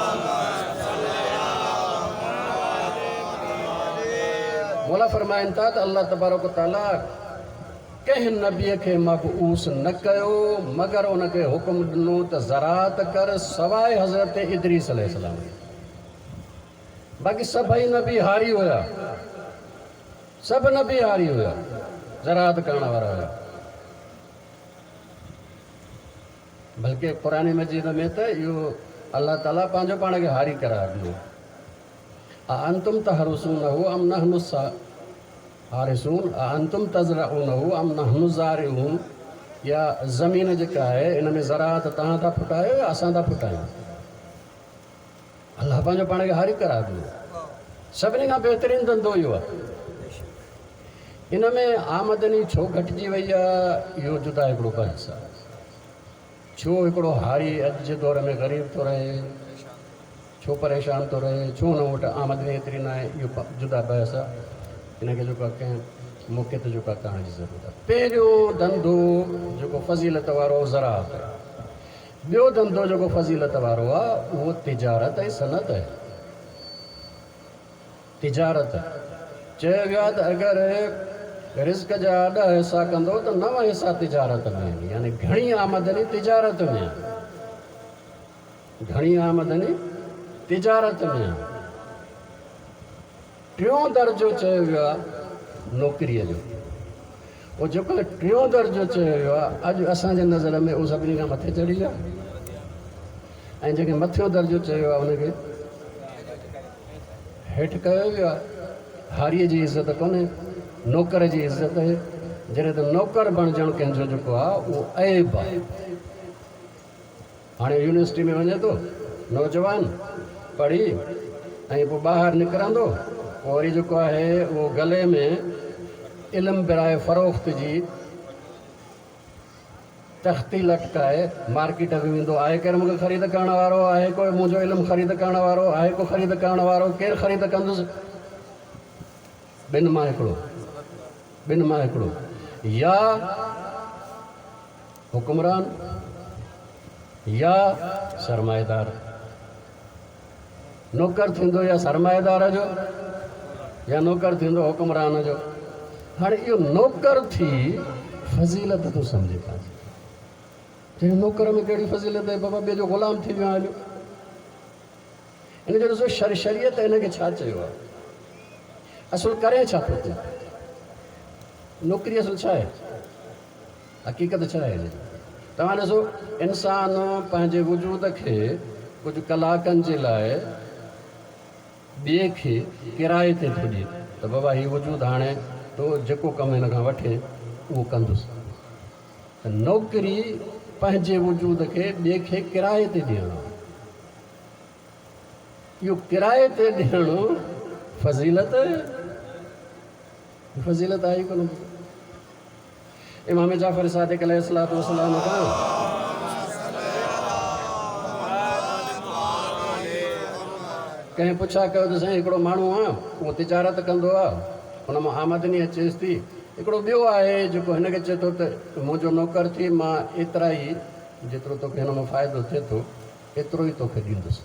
مولا فرمائن ٿا ته الله تبارڪ و تعاليٰ ڪنهن نبيء کي مبعوث نه ڪيو مگر ان کي حڪم ڏنو ته زراعت ڪر، سواء حضرت ادريس عليه السلام جي. باقي سڀئي نبي هاري هيا، سڀ نبي هاري هيا، زراعت ڪرڻ وارا هيا. بلڪه قرآن مجيد ۾ ته اهو الله تعاليٰ پنهنجو پاڻ کي هاري قرار ڏنو، اانتم تحرثونه ام نحن الحارثون اانتم تزرعونه ام نحن الزارعون، يا زمين جيڪا آهي ان ۾ زراعت توهان ٿا ڦٽايو يا اسان ٿا ڦٽايون؟ الله پنهنجو پاڻ کي هاري قرار ڏنو. سڀني کان بهترين ڌنڌو اهو آهي. ان ۾ آمدني ڇو گهٽجي وئي آهي اهو جدا هڪڙو بحث آهي. ڇو هڪڙو هاري اڄ جي دور ۾ غريب ٿو رهي، ڇو پريشان ٿو رهي، ڇو هن وٽ آمدني ايتري ناهي، اهو جدا بحث آهي. ان کي جيڪو آهي ڪنهن موقعي تي جيڪو آهي ڪرڻ جي ضرورت آهي. پهريون ڌنڌو جيڪو فضيلت وارو زراعت آهي. ٻيو ڌنڌو جيڪو فضيلت وارو آهي اهو تجارت ۽ صنعت آهي. تجارت چيو ويو آهي ته اگر رزق جا ڏهه حصا ڪندو ته نو حصا تجارت ۾ آهن، يعني گهڻي آمدني تجارت ۾ آهي، گهڻي آمدني تجارت ۾ آهي. ٽيون درجو چيو ويو آهي نوڪريء جو. اهو جيڪو ٽيون درجو چيو ويو آهي اڄ اسان جي نظر ۾ اهو سڀني کان مٿي چڙهي ويو آهي ۽ جنهن کي مٿيون درجو چيو ويو آهي ان کي هيٺ ڪيو ويو آهي. هاريء جي عزت ڪونهي، نوڪر جي عزت آهي. جڏهن ته نوڪر بڻجڻ ڪنهن جو جيڪو آهي اهو عيب آهي. هاڻي يونيورسٽي ۾ وڃي ٿو نوجوان پڙهي ۽ پوء ٻاهر نڪرندو پوء وري جيڪو آهي اهو گلي ۾ علم براء فروخت جي تختي لٽڪائي مارڪيٽ ۾ ويندو آهي، ڪير مون کي خريد ڪرڻ وارو آهي؟ ڪو منهنجو علم خريد ڪرڻ وارو آهي؟ ڪو خريد ڪرڻ وارو؟ ڪير خريد ڪندس؟ ٻن مان هڪڙو، ٻن مان هڪڙو، يا حڪمران يا سرمائيدار. نوڪر ٿيندو يا سرمائيدار جو يا نوڪر ٿيندو حڪمران جو. هاڻي اهو نوڪر ٿي فضيلت ٿو سمجهي پنهنجي. چئي نوڪر ۾ ڪهڙي فضيلت آهي بابا، ٻئي جو غلام ٿي ويو آهيان. هن جو ڏسو شر شريعت هن کي ڇا چيو آهي، اصل ڪري ڇا ٿو تون؟ نوڪري اصل ڇا آهي، حقيقت ڇا آهي هن جي؟ توهان ڏسو انسان پنهنجي وجود کي ڪجهه ڪلاڪن جي لاءِ ٻئي کي ڪرائي تي ٿو ڏئي ته بابا هي وجود هاڻي تو جيڪو ڪم هن کان وٺي اهو ڪندس. ته نوڪري پنهنجي وجود کي ٻئي کي ڪرائي تي ڏيڻ آهي. اهو ڪرائي تي ڏيڻ فضيلت فضيلت آئي ڪونه. امام جعفر صادق عليه الصلوة والسلام کان ڪنهن پڇا ڪيو ته سائين هڪڙو ماڻهو آهي اهو تجارت ڪندو آهي، هن مان آمدني اچيس ٿي. هڪڙو ٻيو آهي جيڪو هن کي چئي ٿو ته منهنجو نوڪر ٿي، مان ايترا ئي جيترو توکي هن مان فائدو ٿئي ٿو ايترو ئي توکي ڏيندس.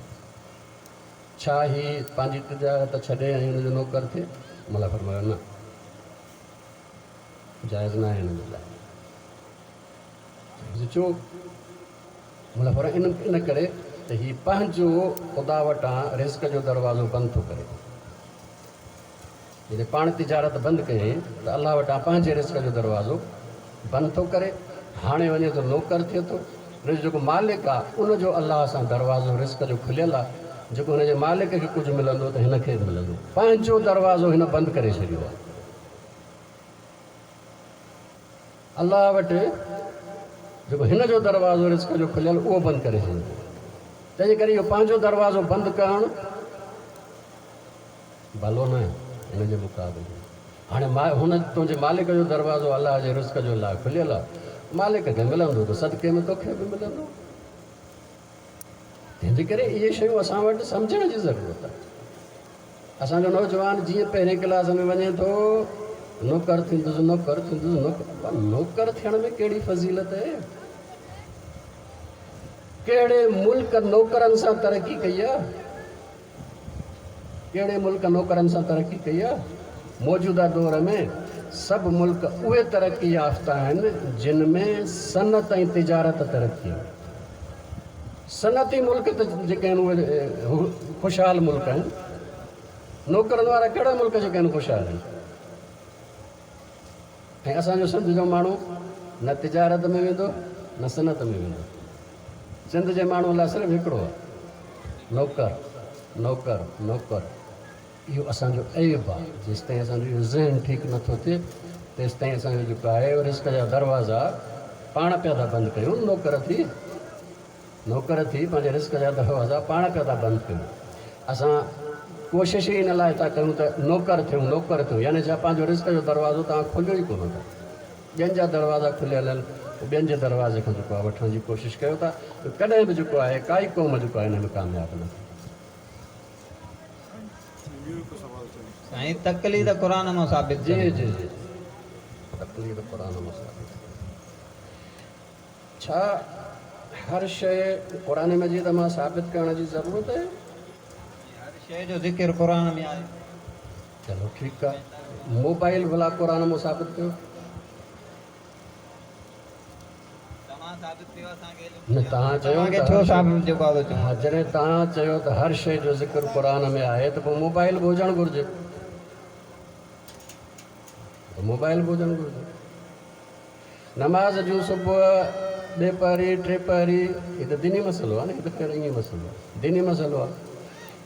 ڇا هي پنهنجي تجارت ڇڏي ۽ هن جو نوڪر ٿئي؟ مولا فرمايو نه، جائز نه آهي هن جي لاءِ. ڇو؟ مولا فرمايو ان ان ڪري ته هي پنهنجو خدا وٽان رزق جو دروازو بند ٿو ڪري. جڏهن پاڻ تجارت بند ڪيائين ته الله وٽان پنهنجي رزق جو دروازو بند ٿو ڪري. هاڻي وڃي ٿو نوڪر ٿئي ٿو. هن جو جيڪو مالڪ آهي ان جو الله سان دروازو رزق جو کليل آهي، جيڪو هن جي مالڪ کي ڪجهه ملندو ته هن کي به ملندو. پنهنجو دروازو هن بند ڪري ڇڏيو آهي. الله وٽ جيڪو هن جو دروازو رزق جو کليل اهو بند ڪري ڇڏيو. تنهن جي ڪري اهو پنهنجو دروازو بند ڪرڻ ڀلو نه آهي هن جي مقابلي ۾. هاڻي هن تنهنجي مالڪ جو دروازو الله جي رزق جو لاءِ کليل آهي، مالڪ کي ملندو ته صدقي ۾ توکي به ملندو. تنهن جي ڪري اهي شيون اسان وٽ سمجهڻ جي ضرورت آهي. اسان جو نوجوان جيئن پهرين ڪلاس ۾ وڃي ٿو نوڪر ٿيندس نوڪر ٿيندس نوڪر. نوڪر ٿيڻ ۾ ڪهڙي فضيلت آهي؟ ڪهڙي ملڪ نوڪرن سان ترقي ڪئي آهي؟ ڪهڙي ملڪ نوڪرن سان ترقي ڪئي آهي؟ موجوده دور ۾ سڀ ملڪ اهي ترقي يافته آهن جن ۾ صنعت ۽ تجارت ترقي آهي. صنعتي ملڪ ته جيڪي آهن اهي خوشحال ملڪ آهن. نوڪرن وارا ڪهڙا ملڪ جيڪي آهن خوشحال آهن؟ ۽ اسان جو سنڌ جو ماڻهو نه تجارت ۾ ويندو نه صنعت ۾ ويندو. سنڌ جي ماڻهوءَ لاءِ صرف هڪڙو آهي، نوڪر نوڪر نوڪر. اهو اسان جو عيب آهي. جيستائين اسان جو اهو ذهن ٺيڪ نٿو ٿئي تيستائين اسان جو جيڪو آهي رزق جا دروازا پاڻ پيا ٿا بند ڪيون. نوڪر ٿي نوڪر ٿي پنهنجي رزق جا دروازا پاڻ پيا ٿا بند ڪيون. اسان ڪوشش ئي ان لاءِ ٿا ڪيون ته نوڪر ٿيون نوڪر ٿيون، يعني ڇا پنهنجو رزق جو دروازو توهان کليو ئي ڪونه ٿا. ٻين جا دروازا کليل آهن، ٻين جي دروازي کان جيڪو آهي وٺڻ جي ڪوشش ڪيو ٿا. ڪڏهن به جيڪو آهي ڪائي قوم جيڪو آهي هن ۾ ڪامياب نه ٿي. سائين تقليد قرآن مان ثابت. جي جي جي تقليد قرآن مان ثابت. ڇا هر شيءِ قرآن مجيد مان ثابت ڪرڻ جي ضرورت آهي؟ هر شيءِ جو ذڪر قرآن ۾ آهي. چلو ٺيڪ آهي. موبائل ڀلا قرآن مان ثابت ڪيو؟ نه توهان چيو ڇو ثابت جيڪو آهي ها، جڏهن توهان چيو ته هر شيءِ جو ذڪر قرآن ۾ آهي ته پوءِ موبائل به هجڻ گهرجي، موبائل به هجڻ گهرجي. نماز جون صبح ٻئي پهري ٽي پهري، هي ته ديني مسئلو آهي نه، هي ته خير ائين مسئلو آهي، ديني مسئلو آهي.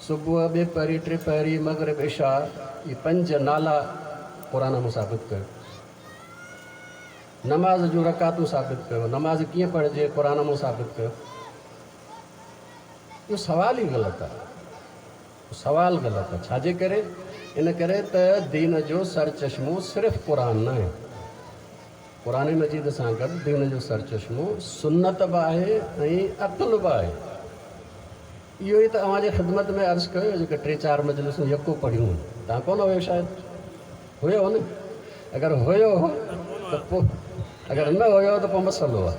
صبح ٻئي پهري ٽي پهري مغرب عشاء، اهي پنج نالا قرآن مان ثابت ڪيو. نماز جون رڪعتون ثابت ڪيو، نماز ڪيئن پڙهجي قرآن مان ثابت ڪيو. اهو سوال ئي غلط آهي، سوال غلط آهي. ڇا جي ڪري؟ ان ڪري ته دين جو سرچشمو صرف قرآن نه آهي. قرآن مجيد سان گڏ دين جو سرچشمو سنت به آهي ۽ عقل به آهي. اهو ئي ته اوهان جي خدمت ۾ عرض ڪيو، جيڪي ٽي چار مجلسون يڪو پڙهيون آهن، توهان ڪونه هيو، شايد هيو نه؟ اگر هيو ته پوءِ، اگر نه هيو ته پوءِ مسئلو آهي.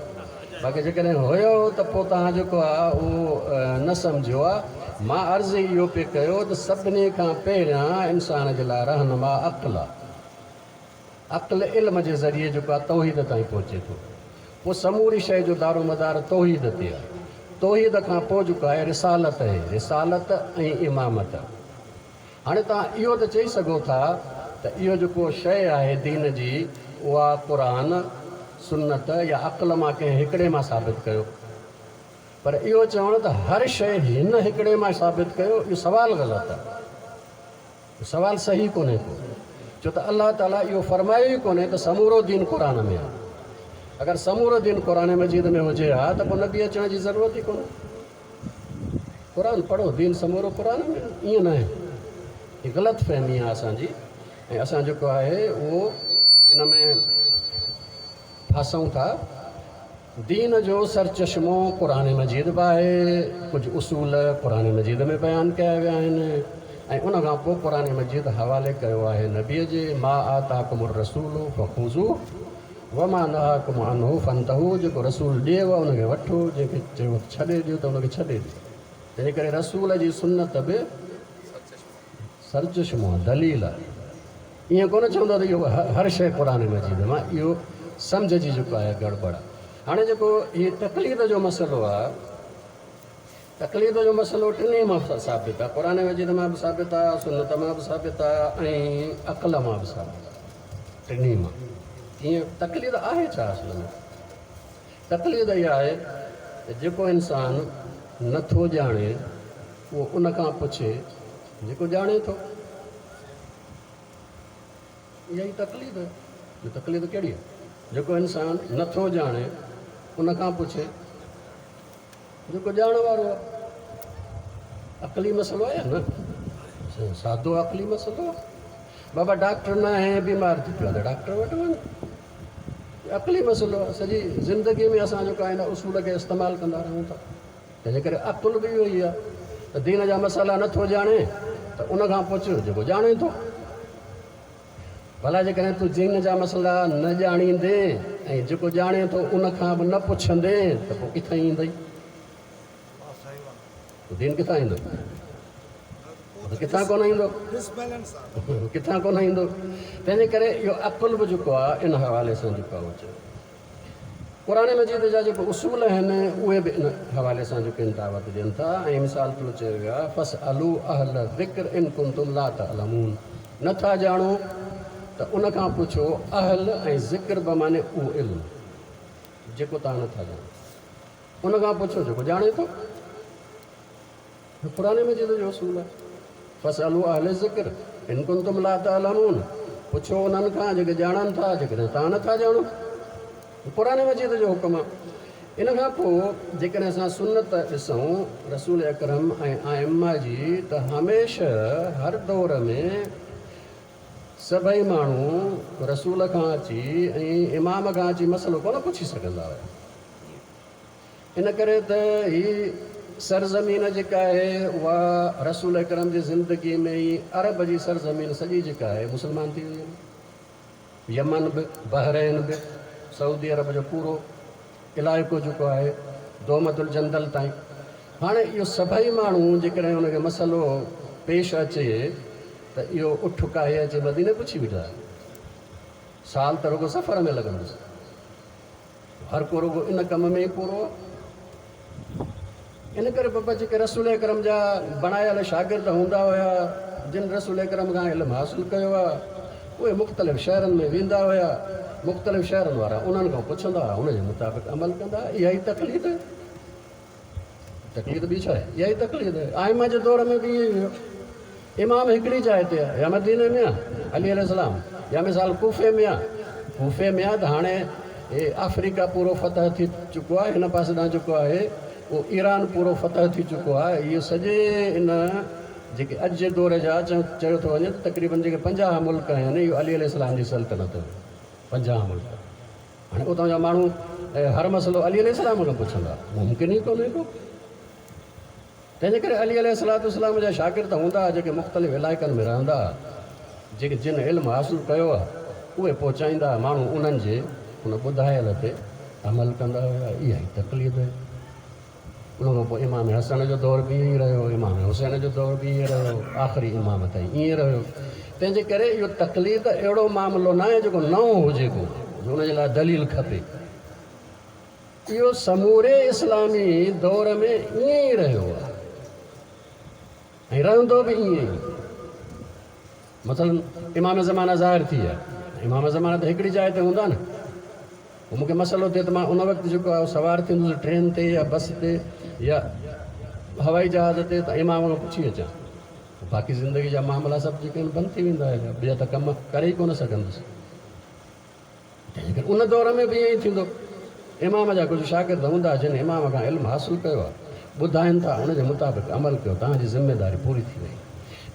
باقي جيڪڏهن هيو ته پوءِ توهان جيڪو آهي اهو نه سمجهيو آهي. مان عرض اهو پئي ڪيو ته سڀني کان پهريان انسان جي لاءِ رهنما عقل آهي. عقل علم جي ذريعي جيڪو آهي توحيد تائين پهچي ٿو. پوءِ سموري شيءِ جو دارو مدار توحيد تي آهي. توحيد کان پوءِ جيڪو آهي رسالت آهي، رسالت ۽ امامت. هاڻي توهان اهو ته چئي سگهو ٿا ته اهو جيڪو شيءِ آهي دين جي اها قرآن، سنت يا عقل مان ڪنهن هڪڙي مان ثابت ڪيو، پر اهو چوڻ ته هر شيءِ هن هڪڙي مان ثابت ڪيو، اهو سوال غلط آهي، سوال صحيح ڪونهي ڪو. ڇو ته الله تعاليٰ اهو فرمايو ئي ڪونهي ته سمورو دين قرآن ۾ آهي. اگر سمورو دين قرآن مجيد ۾ هجي ها ته پوءِ نبي اچڻ جي ضرورت ئي ڪونهي. قرآن پڙهو، دين سمورو قرآن ۾ آهي، ائين نه آهي. هيءَ غلط فهمي آهي اسان جي، ۽ اسان جيڪو آهي اهو ان ۾ ڦاسون ٿا. دين جو سرچشمو قرآن مجيد به آهي، ڪجهه اصول قرآن مجيد ۾ بيان ڪيا ويا آهن، ۽ ان کان پوءِ قرآن مجيد حوالي ڪيو آهي نبيءَ جي، ما آتاڪم الرسول فخذوه وما نهاڪم عنه فانتهوا. جيڪو رسول ڏيو ان کي وٺو، جنهن کي چيو ڇڏي ڏيو ته ان کي ڇڏي ڏيو. تنهن ڪري رسول جي سنت به سرچشمو آهي، دليل آهي. ائين ڪونه چوندو ته اهو هر شيءِ قرآن مجيد مان، اهو سمجهه جي جيڪو آهي گڙٻڙ آهي. هاڻي جيڪو هيءُ تقليد جو مسئلو آهي، تقليد جو مسئلو ٽنهي مان ثابت آهي. قرآن مجيد مان به ثابت آهي، سنت مان به ثابت آهي، ۽ عقل مان به ثابت آهي. ٽنهي مان. ائين تقليد آهي ڇا؟ اصل ۾ تقليد اها آهي ته جيڪو انسان نٿو ڄاڻي اهو ان کان پڇي جيڪو ڄاڻي ٿو. اها ئي تقليد آهي. تقليد ڪهڙي آهي؟ جيڪو انسان نٿو ڄاڻي ان کان پڇي جيڪو ڄاڻ وارو آهي. عقلي مسئلو آهي نه، سادو عقلي مسئلو آهي. بابا ڊاڪٽر نه آهي، بيمار ٿي پيو آهي ته ڊاڪٽر وٽ وڃ. عقلي مسئلو آهي. سڄي زندگي ۾ اسان جيڪو آهي هن اصول کي استعمال ڪندا رهون ٿا. تنهن جي ڪري عقل به اهو ئي آهي ته دين جا مسئلا نٿو ڄاڻي ته ان کان پڇ جيڪو ڄاڻي ٿو. ڀلا جيڪڏهن تون دين جا مسئلا نه ڄاڻيندي ۽ جيڪو ڄاڻي ٿو ان کان به نه پڇندي ته پوءِ ڪٿان ايندئي؟ دين ڪٿان ايندو؟ ڪٿان ڪونه ايندو، ڪٿان ڪونه ايندو. تنهن جي ڪري اهو عقل به جيڪو آهي ان حوالي سان جيڪو آهي اهو چيو. قرآن مجيد جا جيڪي اصول آهن اهي به ان حوالي سان جيڪي آهن دعوت ڏين ٿا. ۽ مثال طور چيو ويو آهي فاسألوا اهل الذڪر ان ڪنتم لا تعلمون. نٿا ڄاڻو ته ان کان پڇو. اهل ۽ ذڪر به معنيٰ اهو علم جيڪو توهان نٿا ڄاڻو، ان کان پڇو جيڪو ڄاڻي ٿو. قرآن مجيد جو اصول آهي فاسألوا اهل الذڪر ان ڪنتم لا تعلمون. پڇو انهن کان جيڪي ڄاڻن ٿا، جيڪڏهن توهان نٿا ڄاڻو. قرآن مجيد جو حڪم آهي. ان کان پوءِ جيڪڏهن اسان سنت ڏسون رسول اڪرم ۽ آئما جي، ته هميشه هر دور ۾ سڀئي ماڻهو رسول کان اچي ۽ امام کان اچي مسئلو ڪونه پڇي سگهندا هئا. ان ڪري ته هيءَ سرزمين جيڪا آهي اها رسول اڪرم جي زندگي ۾ ئي عرب جي سرزمين سڄي جيڪا آهي مسلمان ٿي وئي. يمن به، بحرين به، سعودي عرب جو پورو علائقو جيڪو آهي دومت الجندل تائين. هاڻي اهو سڀئي ماڻهو جيڪڏهن هن کي مسئلو پيش اچي ته اهو اٺ ڪاهي اچي مديني پڇي ويٺا. سال ته رڳو سفر ۾ لڳندس، هر ڪو رڳو ان ڪم ۾ ئي پورو آهي. ان ڪري بابا جيڪي رسول اڪرم جا بڻايل شاگرد هوندا هئا، جن رسول اڪرم کان علم حاصل ڪيو آهي، اهي مختلف شهرن ۾ ويندا هئا. مختلف شهرن وارا انهن کان پڇندا هئا، ان جي مطابق عمل ڪندا هئا. اها ئي تقليد آهي. تقليد ٻي ڇا آهي؟ اها ئي تقليد آهي. آئما جي دور ۾ به ائين ئي هيو. امام هڪڙي جاءِ تي آهي، يا مديني ۾ آهي علي عليه السلام، يا مثال ڪوفي ۾ آهي. ڪوفي ۾ آهي ته هاڻي هي آفريڪا پورو فتح ٿي چڪو آهي، هن پاسي ڏانهن جيڪو آهي اهو ايران پورو فتح ٿي چڪو آهي. اهو سڄي ان جيڪي اڄ جي دور جا چيو ٿو وڃي ته تقريبن جيڪي پنجاهه ملڪ آهن، اهو علي عليه السلام جي سلطنت هئي. پنجاهه ملڪ. هاڻي اتان جا ماڻهو هر مسئلو علي عليه السلام کان پڇندا، ممڪن ئي ڪونهي ڪو. تنهنجي ڪري علي عليه السلام جا شاگرد هوندا جيڪي مختلف علائقن ۾ رهندا، جيڪي جن علم حاصل ڪيو آهي اهي پهچائيندا، ماڻهو انهن جي ان ٻڌايل تي عمل ڪندا هئا. اها ئي تقليد آهي. ان کان پوءِ امام حسن جو دور به ائين ئي رهيو، امام حسين جو دور به ائين رهيو، آخري امام تائين ائين رهيو. تنهن جي ڪري اهو تقليد اهڙو معاملو نه آهي جيڪو نئون هجي ڪو، جو ان جي لاءِ دليل کپي. اهو سموري اسلامي دور ۾ ائين ئي رهيو آهي ۽ رهندو به ائين ئي. مثلاً امام زمانه ظاهر ٿي ويا، امام زمانه ته هڪڙي جاءِ تي هوندا نه. پوءِ مون کي مسئلو ٿئي ته مان ان وقت جيڪو آهي سوار ٿيندس ٽرين تي يا بس تي يا هوائي جهاز تي ته امام کان پڇي اچان. باقي زندگي جا معاملا سڀ جيڪي آهن بند ٿي ويندا آهن، ٻيا ته ڪم ڪري ئي ڪونه سگهندس. تنهن ڪري ان دور ۾ به ائين ئي ٿيندو. امام جا ڪجهه شاگرد هوندا جن امام کان علم حاصل ڪيو آهي، ٻڌائين ٿا، ان جي مطابق عمل ڪيو، توهان جي ذميداري پوري ٿي وئي.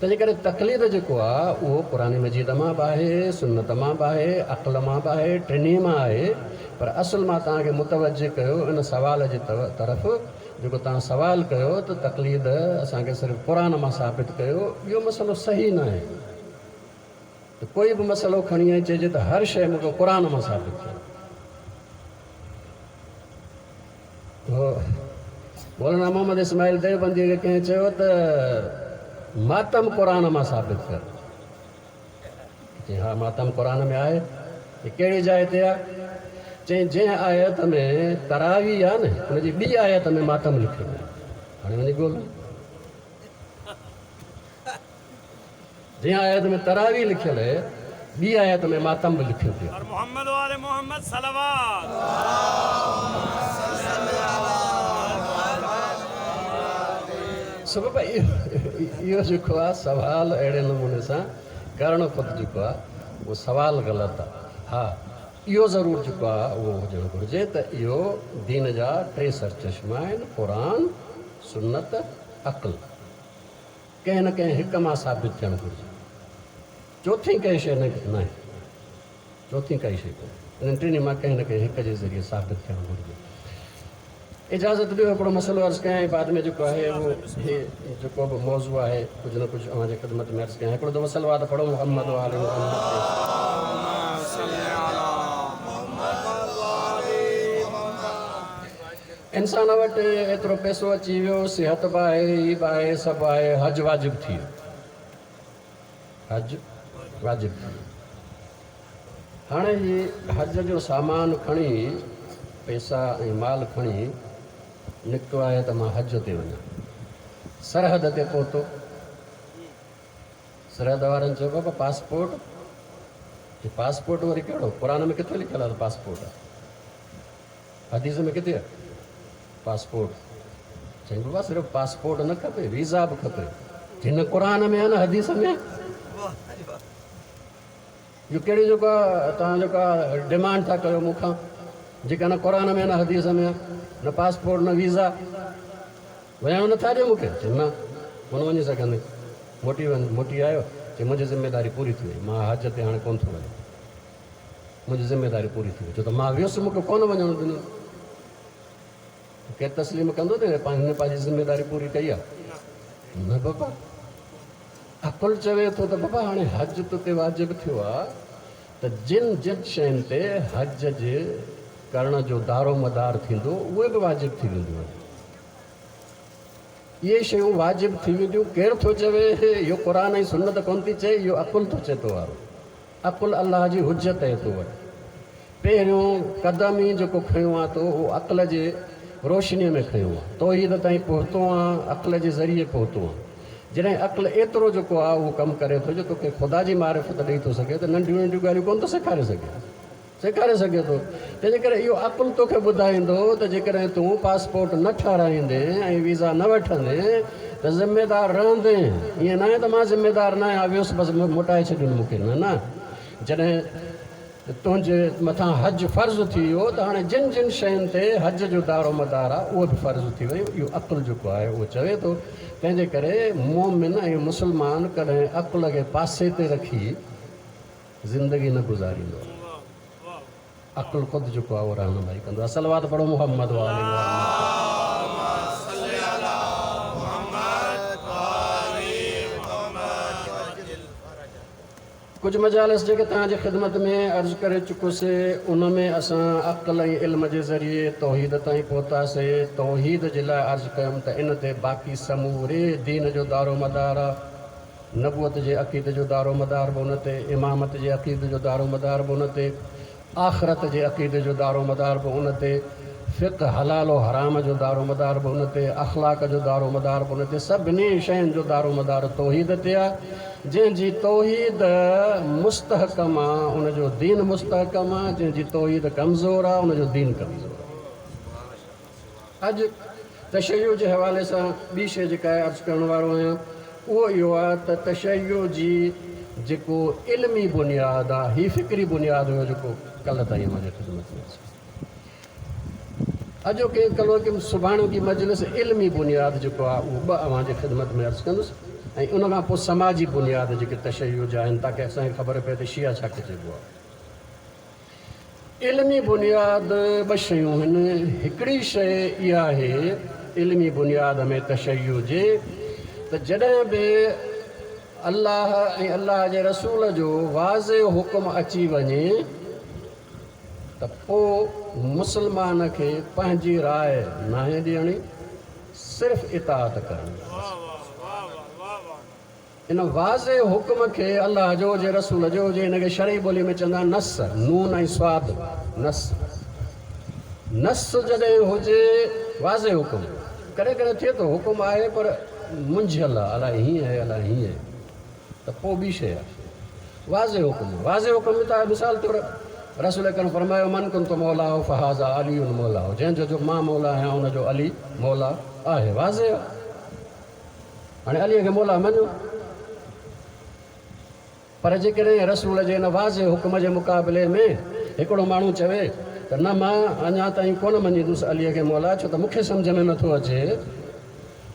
تنهن جي ڪري تقليد جيڪو آهي اهو قرآن مجيد مان به آهي، سنت مان به آهي، عقل مان به آهي، ٽنهي مان آهي. پر اصل مان توهان کي متوجهه ڪيو ان سوال جي طرف، جيڪو توهان سوال ڪيو ته تقليد اسان کي صرف قرآن مان ثابت ڪيو، اهو مسئلو صحيح نه آهي. ته ڪوئي به مسئلو کڻي ۽ چئجي ته هر شيءِ مون کي قرآن مان ثابت ٿيو. مولانا محمد اسماعيل ديوبنديءَ کي ڪنهن چيو ته ماتم قرآن مان ثابت ڪر. چئي ها ماتم قرآن ۾ آهي. ڪهڙي جاءِ تي آهي؟ چئي جنهن آيت ۾ تراوي آهي نه، هن جي ٻي آيت ۾ ماتم لکيل آهي. هاڻي وڃي ڳولهه، جنهن آيت ۾ تراوي لکيل آهي ٻي آيت ۾ ماتم به لکيو پيو. محمد وآل محمد صلوات. سبب اهو جيڪو آهي سوال اهڙي نموني سان ڪرڻ خود جيڪو آهي اهو سوال غلط آهي. ها اهو ضرور جيڪو آهي اهو هجڻ گهرجي ته اهو دين جا ٽي سرچشما آهن، قرآن، سنت، عقل. ڪنهن نه ڪنهن هڪ مان ثابت ٿيڻ گهرجي، چوٿين ڪنهن شيءِ نه آهي، چوٿين ڪائي شيءِ ڪونهي. انهن ٽنهي مان ڪنهن نه ڪنهن هڪ جي ذريعي ثابت ٿيڻ گهرجي. اجازت ڏيو، هڪڙو مسئلو عرض ڪيان ۽ بعد ۾ جيڪو آهي اهو هي جيڪو به موضوع آهي ڪجهه نه ڪجهه اوهان جي خدمت ۾ عرض ڪيان. هڪڙو دفعو صلوات پڙهو محمد وآل محمد تي. انسان وٽ ايترو پئسو اچي ويو، صحت به آهي، هي به آهي، سڀ آهي، حج واجب ٿي ويو، حج واجب ٿي ويو. هاڻي هي حج جو سامان کڻي، پئسا ۽ مال کڻي نڪتو آهي ته مان حج تي وڃان. سرحد تي پهتو، سرحد وارن چيو بابا پاسپورٽ. پاسپورٽ وري ڪهڙو؟ قرآن ۾ ڪٿي لکيل آهي ته پاسپورٽ آهي؟ حديث ۾ ڪٿي آهي پاسپورٽ؟ چئي بابا صرف پاسپورٽ نه کپي، ويزا به کپي. جن قرآن ۾ آهي نه حديث ۾ آهي. اهو ڪهڙي جيڪو آهي توهان جيڪو آهي ڊمانڊ ٿا ڪيو مون کان، جيڪا نه قرآن ۾ نه حديث ۾ آهي، نه پاسپورٽ نه ويزا، وڃڻ نٿا ڏيو مون کي؟ چئي نه ڪونه وڃي سگهندي. موٽي وڃ، موٽي آيو، چئي منهنجي ذميداري پوري ٿي وئي، مان حج تي هاڻي ڪونه ٿو وڃان، منهنجي ذميداري پوري ٿي وئي، ڇو ته مان ويس مون کي ڪونه وڃڻ ڏنو. ڪير تسليم ڪندو ته هن پنهنجي ذميداري پوري ڪئي آهي؟ نه بابا. عقل چوي ٿو ته بابا هاڻي حج تو تي واجب ٿيو آهي ته جن جن شين تي حج جي ڪرڻ جو دارو مدار ٿيندو اهي به واجب ٿي وينديون آهن. اهي شيون واجب ٿي وينديون. ڪير ٿو چوي؟ اهو قرآن ۽ سنت ڪونه ٿي چئي، اهو عقل ٿو چئي. تو وارو عقل الله جي حجت آهي تو وٽ. پهريون قدم ئي جيڪو کنيو آهي تو اهو عقل جي روشنيءَ ۾ کنيو آهي. توحيد تائين پهتو آهي، عقل جي ذريعي پهتو آهي. جڏهن عقل ايترو جيڪو آهي اهو ڪم ڪري ٿو جو توکي خدا جي معرفت ڏيئي ٿو سگهي ته ننڍيون ننڍيون ڳالهيون ڪونه ٿو سيکاري سگهي، سيکاري سگهي ٿو. تنهن جي ڪري اهو عقل توکي ٻڌائيندو ته جيڪڏهن تون پاسپورٽ نه ٺهرائيندي ۽ ويزا نه وٺندي ته ذميدار رهندي. ائين نه آهي ته مان ذميدار نه آهيان، ويس بس موٽائي ڇڏيو مون کي، نه نه. جڏهن تنهنجي مٿان حج فرض ٿي ويو ته هاڻي جن جن شين تي حج جو دارو مدار آهي اهو به فرض ٿي ويو. اهو عقل جيڪو آهي اهو چوي ٿو. تنهن جي ڪري مومن ۽ مسلمان ڪڏهن عقل کي پاسي تي رکي زندگي نه گذاريندو آهي. عقل خود جيڪو آهي اهو رهنمائي ڪندو آهي. صلوات پڙهو محمد وآل محمد. ڪجهه مجالس جيڪي توهان جي خدمت ۾ عرض ڪري چڪس، ان ۾ اسان عقل ۽ علم جي ذريعي توحيد تائين پهتاسي. توحيد جي لاءِ عرض ڪيم ته ان تي باقي سموري دين جو دارو مدار آهي. نبوت جي عقيدي جو دارو مدار به ان تي، امامت جي عقيدي جو دارو مدار به ان تي، آخرت جي عقيدي جو دارو مدار به ان تي، فقه حلال و حرام جو دارو مدار به ان تي، اخلاق جو دارو مدار به ان تي، سڀني شين جو دارو مدار توحيد تي آهي. جنهن جي توحيد مستحڪم آهي ان جو دين مستحڪم آهي، جنهن جي توحيد ڪمزور آهي ان جو دين ڪمزور آهي. اڄ تشيع جي حوالي سان ٻي شيءِ جيڪا عرض ڪرڻ وارو آهيان اهو اهو آهي ته تشيع جي جيڪو علمي بنياد آهي، هي فڪري بنياد هيو جيڪو ڪلهه تائين اوهان جي خدمت ۾ اڄوڪي ڪلهوڪي سڀاڻي مجلس علمي بنياد جيڪو آهي اهو ٻه اوهان جي خدمت ۾ عرض ڪندس ۽ ان کان پوءِ سماجي بنياد جيڪي تشيع جا آهن، تاڪه اسان کي خبر پئي ته شيعا ڇا کي چئبو آهي. علمي بنياد ٻه شيون آهن. هڪڙي شيءِ اها آهي علمي بنياد ۾ تشيع جي ته جڏهن به الله ۽ الله جي رسول جو واضح حڪم اچي وڃي ته پوءِ مسلمان کي پنهنجي راءِ ناهي ڏيڻي، صرف اطاعت ڪرڻي. ان واضح حڪم کي الله جو هجي رسول جو هجي، هن کي شرعي ٻوليءَ ۾ چوندا آهن نص، نون ۽ سواد. نص نص جڏهن هجي واضح حڪم، ڪڏهن ڪڏهن ٿئي ٿو حڪم آهي پر منجهيل آهي، الائي هيئن آهي الائي هيئن آهي، ته پوءِ ٻي شيءِ آهي. واضح حڪم، واضح حڪم ته مثال طور رسول اڪرم فرمايو من ڪنت مولاه فهذا علي مولاه، جنهن جو جو مان مولا آهيان ان جو علي مولا آهي. واضح آهي. هاڻي عليءَ کي مولا مڃو، پر جيڪڏهن رسول جي هن واضح حڪم جي مقابلي ۾ هڪڙو ماڻهو چوي ته نه مان اڃا تائين ڪونه مڃيندس عليءَ کي مولا، ڇو ته مون کي سمجهه ۾ نٿو اچي،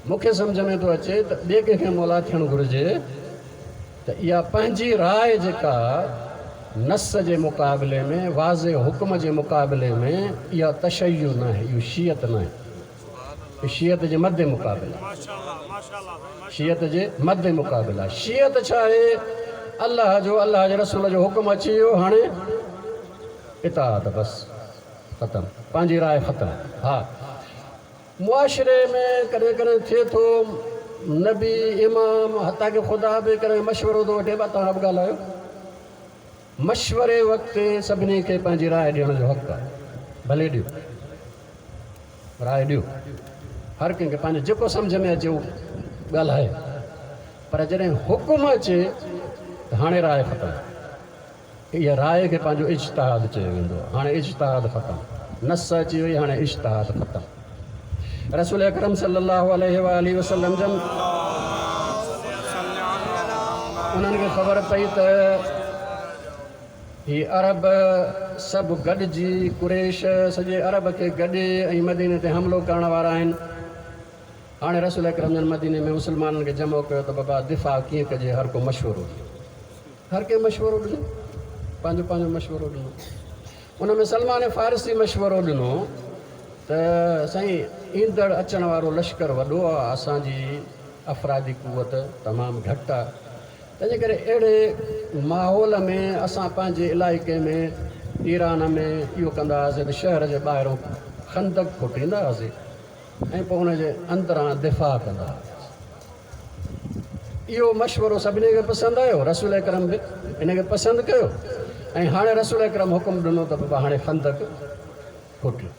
مون کي سمجهه ۾ ٿو اچي ته ٻئي ڪنهن کي مولا ٿيڻ گهرجي، ته اها پنهنجي راءِ جيڪا نص جي مقابلي ۾ واضح حڪم جي مقابلي ۾ اها تشيع نه آهي، اهو شيعت نه آهي، شيعت جي مد مقابل آهي. شيعت جي مد مقابل آهي. شيعت ڇا آهي؟ الله جو الله جي رسول جو حڪم اچي ويو، هاڻي اطاعت بس ختم، پنهنجي راءِ ختم. ها، معاشري ۾ ڪڏهن ڪڏهن ٿئي ٿو نبي امام حتيٰ ڪه خدا به ڪڏهن مشورو ٿو وٺي، توهان به ڳالهايو. مشوري وقت سڀني کي پنهنجي راءِ ڏيڻ جو حق آهي، ڀلي ڏيو راءِ ڏيو، هر ڪنهن کي پنهنجو جيڪو سمجهه ۾ اچي اهو ڳالهائي، پر جڏهن حڪم اچي ته هاڻي راءِ ختم. اها راءِ کي پنهنجو اجتهاد چيو ويندو آهي. هاڻي اجتهاد ختم، نص اچي وئي، هاڻي اجتهاد ختم. رسول اڪرم صلي الله عليه وآله وسلم جن انهن کي خبر پئي ته هي عرب سڀ گڏجي قريش سڄي عرب کي گڏي ۽ مديني تي حملو ڪرڻ وارا آهن. هاڻي رسول اڪرم جن مديني ۾ مسلمانن کي جمع ڪيو ته بابا دفاع ڪيئن ڪجي، هر ڪو مشورو ڏيو، هر ڪنهن مشورو ڏنو، پنهنجو پنهنجو مشورو ڏنو. ان ۾ سلمان فارسي مشورو ڏنو ته سائين ايندڙ اچڻ وارو لشڪر وڏو آهي، اسان جي افرادي قوت تمام گهٽ آهي، تنهن جي ڪري اهڙي ماحول ۾ اسان پنهنجي علائقي ۾ ايران ۾ اهو ڪندا هئاسين ته شهر جي ٻاهران خندق کوٽيندا هئاسين ۽ پوءِ ان جي اندران دفاع ڪندا هئاسين. اهو مشورو سڀني کي پسند آيو، رسول اڪرم به ان کي پسند ڪيو ۽ هاڻي رسول اڪرم حڪم ڏنو ته بابا هاڻي خندق کوٽيو.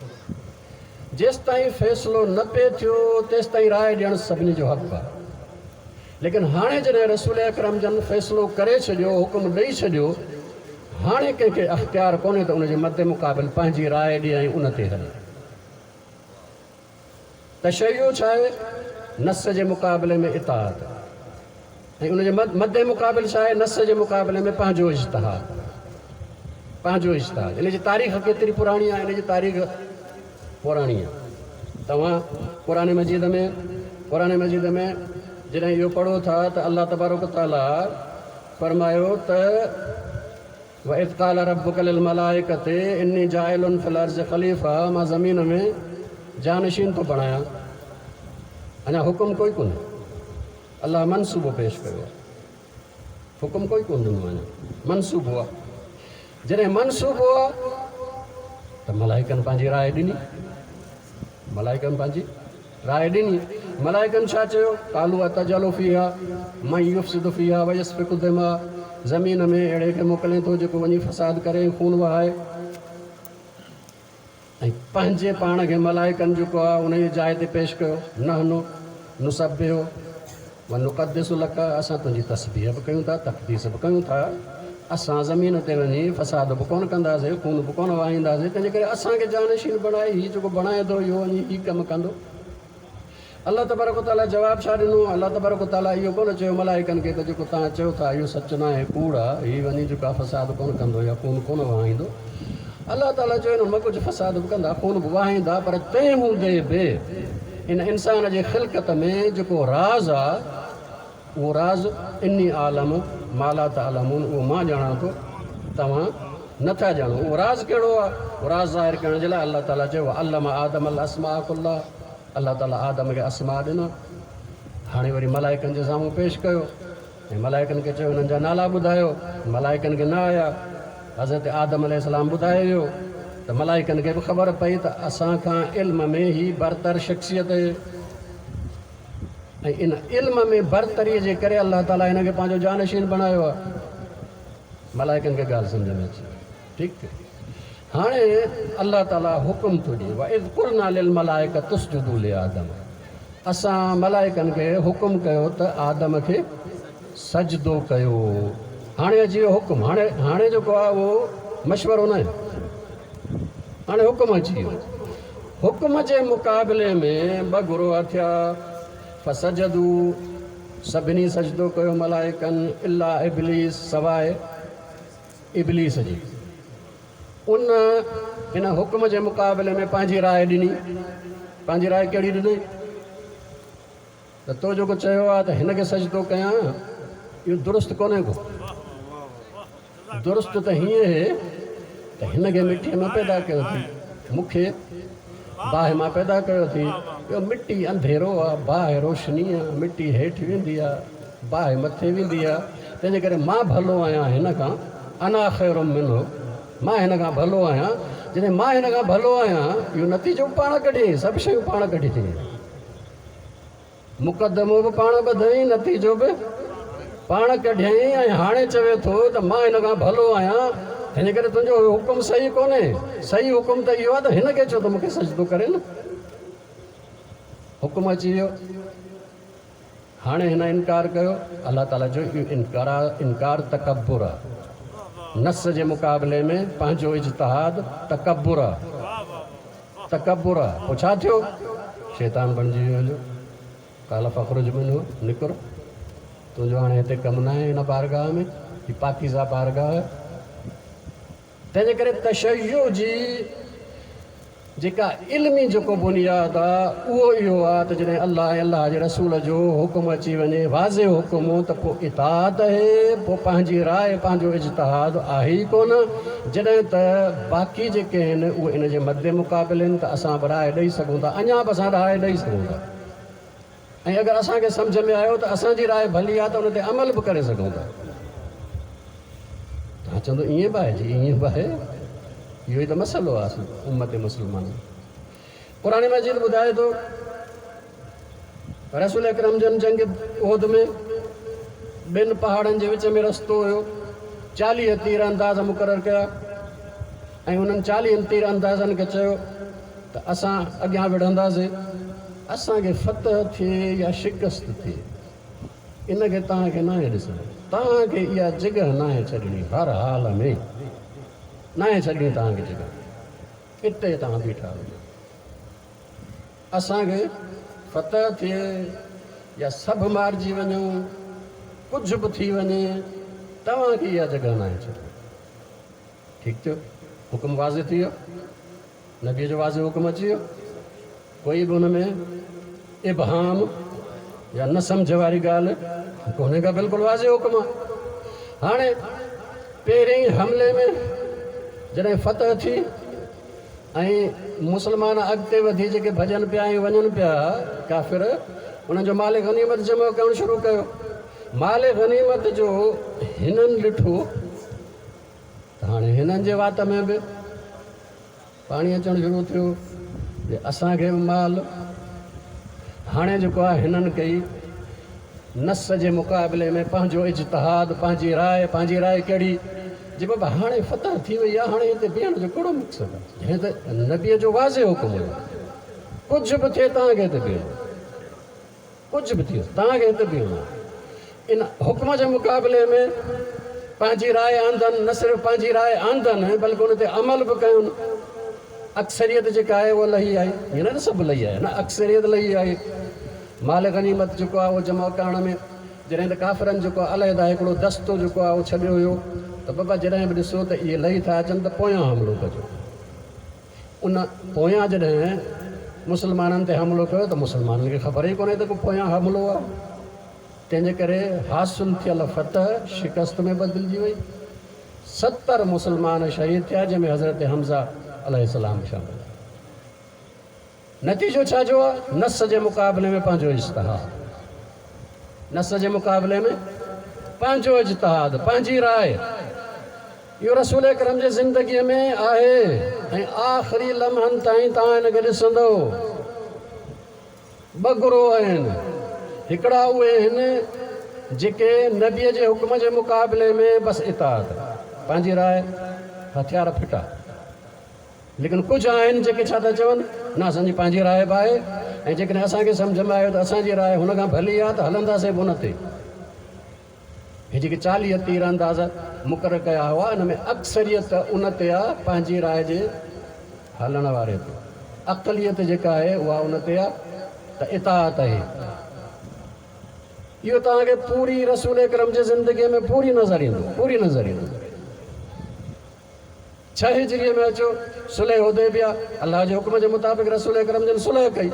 جيستائين فيصلو نه پئي ٿيو تيستائين راءِ ڏيڻ سڀني جو حق آهي، ليڪن هاڻي جڏهن رسول اڪرم جن فيصلو ڪري ڇڏيو، حڪم ڏيئي ڇڏيو، هاڻي ڪنهن کي اختيار ڪونهي ته ان جي مد مقابل پنهنجي راءِ ڏئي ۽ ان تي هلي. تشيع ڇا آهي؟ نص جي مقابلي ۾ اطاعت، ۽ ان جي مد مقابل ڇا آهي؟ نص جي مقابلي ۾ پنهنجو اجتهاد، پنهنجو اجتهاد. ان جي تاريخ ڪيتري پراڻي آهي؟ ان جي تاريخ پراڻي آهي. توهان قرآن مجيد ۾ قرآن مجيد ۾ جڏهن اهو پڙهو ٿا ته الله تبارڪ تعاليٰ فرمايو ته واذ قال ربک للملائڪة اني جاعل في الارض خليفه مان زمين ۾ جانشين ٿو بڻايان. اڃا حڪم ڪوئي ڪونهي، الله منصوبو پيش ڪيو آهي، حڪم ڪوئي ڪونه ڏنو، اڃا منصوبو آهي. جڏهن منصوبو آهي ته ملائڪن پنهنجي راءِ ڏني، ملائڪن پنهنجي راءِ ڏني. ملائڪن ڇا چيو؟ قالوا اتجعل فيها من يفسد فيها ويسفك الدماء، زمين ۾ اهڙي کي موڪلين ٿو جيڪو وڃي فساد ڪري ۽ خون وهائي. ۽ پنهنجي پاڻ کي ملائڪن جيڪو آهي ان جي جاءِ تي پيش ڪيو، نحن نسبح ونقدس لڪ، اسان تنهنجي تسبيح به ڪيون ٿا، تقديس به ڪيون ٿا، اسان زمين تي وڃي فساد به ڪونه ڪنداسين، خون به ڪونه وهائينداسين، تنهنجي ڪري اسان کي جانشين بڻائي هي جيڪو بڻائي ٿو اهو وڃي هي ڪم ڪندو. الله تبارڪ وتعاليٰ جواب ڇا ڏنو؟ الله تبارڪ وتعاليٰ اهو ڪونه چيو ملائڪن کي ته جيڪو توهان چئو ٿا اهو سچ ناهي، ڪوڙ آهي، هي وڃي جيڪو آهي فساد ڪونه ڪندو يا خون ڪونه وهائيندو. الله تعاليٰ چيو انهن مان ڪجهه فساد به ڪندا، خون به وهائيندا، پر تنهن هوندي به ان انسان جي خلقت ۾ جيڪو راز آهي اهو راز اني عالم ما لا تعلمون، اهو مان ڄاڻان ٿو، توهان نٿا ڄاڻو. اهو راز ڪهڙو آهي؟ اهو راز ظاهر ڪرڻ جي لاءِ الله تعاليٰ چيو علم آدم الاسماء ڪلها، الله تعاليٰ آدم کي اسماء ڏنا. هاڻي وري ملائڪن جي سامهون پيش ڪيو ۽ ملائڪن کي چيو هنن جا نالا ٻڌايو. ملائڪن کي نه آيا. حضرت آدم عليه السلام ٻڌائي ويو ته ملائڪن کي به خبر پئي ته اسان کان علم ۾ هي برتر شخصيت آهي ۽ ان علم ۾ برتريءَ جي ڪري الله تعاليٰ هن کي پنهنجو جانشين بڻايو آهي. ملائڪن کي ڳالهه سمجهه ۾ اچي وئي. ٺيڪ ٿيو. هاڻي الله تعاليٰ حڪم ٿو ڏئي، واذ قلنا للملائڪة اسجدوا لآدم، اسان ملائڪن کي حڪم ڪيو ته آدم کي سجدو ڪيو. هاڻي اچي ويو حڪم. هاڻي هاڻي جيڪو آهي اهو مشورو نه آهي، هاڻي حڪم اچي ويو. حڪم جي مقابلي ۾ ٻه گروهه ٿيا. فسجدوا، سڀني سجدو ڪيو ملائڪن، الا ابليس، سواءِ ابليس جي. ان هن حڪم جي مقابلي ۾ پنهنجي راءِ ڏني. پنهنجي راءِ ڪهڙي ڏني؟ ته تو جيڪو چيو آهي ته هن کي سجدو ڪيان، اهو درست ڪونهي ڪو. درست ته هيئن آهي ته هن کي مٽيءَ مان پيدا ڪيو ٿي، مون کي باهه مان پيدا ڪيو ٿي. اهو مٽي انڌيرو آهي، باهه روشني آهي، مٽي هيٺ ويندي آهي، باهه مٿي ويندي آهي، تنهن جي ڪري مان ڀلو آهيان هن کان. انا خير منه، مان هن کان ڀلو آهيان. جڏهن مان هن کان ڀلو آهيان، اهو نتيجو پاڻ ڪڍيائين، سڀ شيون پاڻ ڪڍي ڇڏيائين. مقدمو به پاڻ ٻڌائين، نتيجو به پاڻ ڪڍيائين. ۽ هاڻي چوي ٿو ته مان هن کان ڀلو آهيان، هن ڪري تنهنجو حڪم صحيح ڪونهي. صحيح حڪم ته اهو آهي ته هن کي چئو ته مون کي سجدو ڪري نه. حڪم اچي ويو. هاڻي هن انڪار ڪيو. الله تعاليٰ جو اهو انڪار انڪار تڪبر آهي. نص جي مقابلي ۾ پنهنجو اجتهاد تڪبر آهي، تڪبر آهي. پوءِ ڇا ٿيو؟ شيطان بڻجي ويو هليو. قال فاخرج منه، نڪر، تنهنجو هاڻي هتي ڪم نه آهي هن بارگاهه ۾، هي پاڪيزه بارگاهه آهي. تنهنجي ڪري تشيع جي جيڪا علمي جيڪو بنياد آهي اهو اهو آهي ته جڏهن الله ۽ الله جي رسول جو حڪم اچي وڃي، واضح حڪم، ته پوءِ اطاعت آهي، پوءِ پنهنجي راءِ پنهنجو اجتهاد آهي ئي ڪونه. جڏهن ته باقي جيڪي آهن اهي ان جي مد مقابل آهن ته اسان به راءِ ڏيئي سگهون ٿا، اڃا به اسان راءِ ڏيئي سگهون ٿا. ۽ اگر اسان کي سمجهه ۾ آيو ته اسان جي راءِ ڀلي آهي ته ان تي عمل به ڪري سگهون ٿا. توهان چوندو ائين به آهي؟ جي ائين به آهي. اهو ئي ته مسئلو آهي امت مسلمان. قرآن مجيد ٻڌائي ٿو رسول اڪرم جن جنگ احد ۾ ٻن پهاڙن جي وچ ۾ رستو هيو، چاليهه تير انداز مقرر ڪيا ۽ انهن چاليهن تير اندازن کي چيو ته اسان اڳيان وڙهنداسين، اسان کي فتح ٿئي يا شڪست ٿئي ان کي توهان کي ناهي ڏسڻو، توهان کي اها جڳهه ناهي ڇڏڻي، هر حال ۾ ناهي ڇڏڻي توهان کي جڳهه، اتي توهان بيٺا هجو. اسان کي فتح ٿئي يا سڀ مارجي وڃون، ڪجهه به ٿي وڃي، توهان کي اها جڳهه ناهي ڇڏڻي. ٺيڪ ٿيو، حڪم واضح ٿي ويو، نبيءَ جو واضح حڪم اچي ويو، ڪوئي به هن ۾ ابهام يا نه سمجهه واري ڳالهه ڪونهي ڪا، بلڪل واضح حڪم آهي. هاڻي پهرين حملي ۾ جڏهن فتح ٿي ۽ مسلمان اڳتي وڌي جيڪي ڀڄن پيا ۽ وڃن پيا ڪافر، انهن جو مال غنيمت جمع ڪرڻ شروع ڪيو. مال غنيمت جو هنن ڏٺو ته هاڻي هنن جي وات ۾ به پاڻي اچڻ شروع ٿيو جي اسان کي به مال. هاڻي جيڪو آهي هنن ڪئي نص جي مقابلي ۾ پنهنجو اجتهاد، پنهنجي راءِ. پنهنجي راءِ ڪهڙي؟ جي بابا هاڻي فتح ٿي وئي آهي، هاڻي هتي بيهڻ جو ڪهڙو مقصد آهي؟ جڏهن ته نبيءَ جو واضح حڪم هيو ڪجهه به ٿئي توهان کي هتي بيهڻو، ڪجهه به ٿئي توهان کي هتي بيهڻو. ان حڪم جي مقابلي ۾ پنهنجي راءِ آندن، نه صرف پنهنجي راءِ آندن بلڪه ان تي عمل به ڪين. اڪثريت جيڪا آهي اها لهي آئي، ائين نه سڀ لهي آيا نه، اڪثريت لهي آئي. مال غنيمت جيڪو آهي اهو جمع ڪرڻ ۾ جڏهن ته ڪافرن جيڪو آهي عليحده هڪڙو دستو جيڪو آهي اهو ڇڏيو هيو ته بابا جڏهن به ڏسو ته اهي لهي ٿا اچن ته پويان حملو ڪجو. ان پويان جڏهن مسلمانن تي حملو ڪيو ته مسلمانن کي خبر ئي ڪونهي ته ڪو پويان حملو آهي. تنهن جي ڪري حاصل ٿيل فتح شڪست ۾ بدلجي وئي. ستر مسلمان شهيد ٿيا، جنهن ۾ حضرت حمزه عليه السلام شامل آهي. نتيجو ڇا جو آهي؟ نص جي مقابلي ۾ پنهنجو اجتهاد، نص جي مقابلي ۾ پنهنجو اجتهاد، پنهنجي راءِ. اهو رسول اڪرم جي زندگيءَ ۾ آهي ۽ آخري لمحن تائين توهان هن کي ڏسندؤ. ٻه گروهه آهن، هڪڙا اهي آهن جيڪي نبيءَ جي حڪم جي مقابلي ۾ بس اطاعت، پنهنجي راءِ، هٿيار ڦٽا. ليڪن ڪجهه آهن جيڪي ڇا ٿا چون، نه اسان جي پنهنجي راءِ به آهي ۽ جيڪڏهن اسان کي سمجهه ۾ آيو ته اسان جي راءِ هن کان ڀلي آهي ته هلنداسين به هن تي. هي جيڪي چاليهه تير انداز مقرر ڪيا هئا ان ۾ اڪثريت ان تي آهي پنهنجي راءِ جي هلڻ واري تي. اقليت جيڪا آهي اها ان تي آهي ته اطاعت آهي. اهو توهان کي پوري رسول اڪرم جي زندگيءَ ۾ پوري نظر ايندو، پوري نظر ايندو. ڇهه هجريءَ ۾ اچو صلح حديبيه، الله جي حڪم جي مطابق رسول اڪرم جن صلح ڪئي،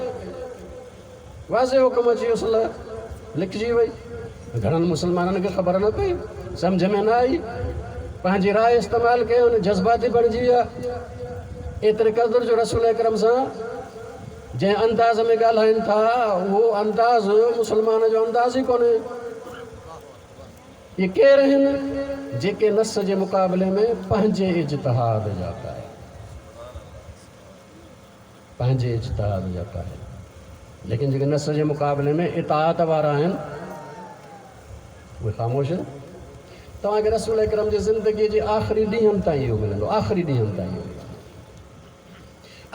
واضح حڪم اچي ويو، صلح لکجي وئي. گهڻن مسلمانن کي خبر نه پئي، سمجهه ۾ نه آئي، پنهنجي راءِ استعمال ڪيون، جذباتي بڻجي ويا. ايتري قدر جو رسول اڪرم سان جنهن انداز ۾ ڳالهائين ٿا اهو انداز مسلمان جو انداز ئي ڪونهي. اهي ڪير آهن؟ جيڪي نص جي مقابلي ۾ پنهنجي اجتهاد جا قائل، پنهنجي اجتهاد جا قائل. ليڪن جيڪي نص جي مقابلي ۾ اطاعت وارا آهن اهي خاموش آهن. توهان کي رسول اڪرم جي زندگيءَ جي آخري ڏينهن تائين اهو ملندو، آخري ڏينهن تائين اهو ملندو.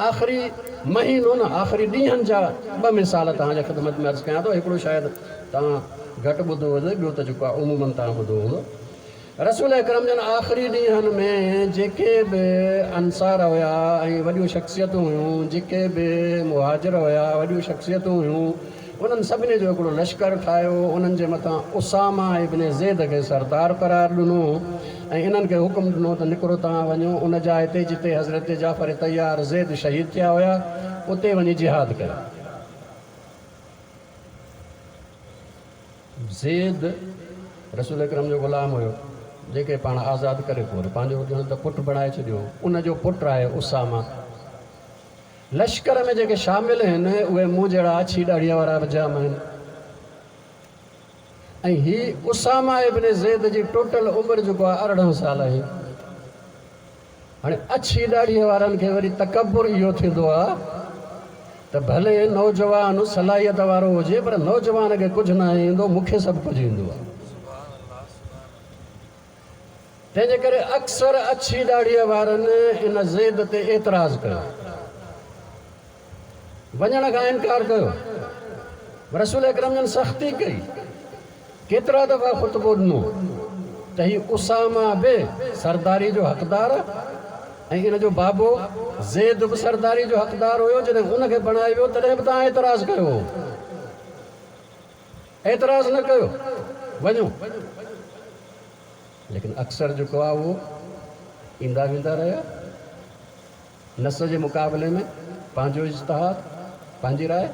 آخري مهينو نه، آخري ڏينهن جا ٻه مثال توهان جي خدمت ۾ عرض ڪيان ٿو. هڪڙو شايد توهان گهٽ ٻڌو هوندو، ٻيو ته جيڪو آهي عمومن توهان ٻڌو هوندو. رسول اڪرم جن آخري ڏينهن ۾ جيڪي به انصار هئا ۽ وڏيون شخصيتون هيون، جيڪي به مهاجر هئا وڏيون شخصيتون هيون، انهن سڀني جو هڪڙو لشڪر ٺاهيو. انهن جي مٿان اسامه ابن زيد کي سردار قرار ڏنو ۽ انهن کي حڪم ڏنو ته نڪرو توهان وڃو ان جاءِ تي جتي حضرت جعفر طيار زيد شهيد ٿيا هئا، اتي وڃي جهاد ڪيو. زيد رسول اڪرم جو غلام هيو، جيڪي پاڻ آزاد ڪري پوءِ پنهنجو ڄڻ ته پٽ بڻائي ڇڏيو. ان جو پٽ آهي اسامه. لشڪر ۾ جيڪي شامل آهن اهي مون جهڙا اڇي ڏاڙهيءَ وارا به جام آهن. ۽ هي اسامه ابن زيد جي ٽوٽل عمر جيڪو آهي ارڙهن سال آهي. هاڻي اڇي ڏاڙهيءَ وارن کي وري تڪبر اهو ٿيندو آهي ته ڀلي نوجوان صلاحيت وارو هجي پر نوجوان کي ڪجهه نه ايندو، مون کي سڀ ڪجهه ايندو آهي. تنهن جي ڪري اڪثر اڇي ڏاڙهيءَ وارن ان زيد تي اعتراض ڪيو، وڃڻ کان انڪار ڪيو. رسول اڪرم جن سختي ڪئي، ڪيترا دفعا خطبو ڏنو ته هي اسامه به سرداري جو حقدار آهي ۽ ان جو بابو زيد به سرداري جو حقدار هيو. جڏهن ان کي بڻائي ويو تڏهن به توهان اعتراض ڪيو، اعتراض نه ڪيو، وڃو. ليڪن اڪثر جيڪو آهي اهو ايندا ويندا رهيا. نص جي مقابلي ۾ پنهنجو اجتهاد، پنهنجي راءِ.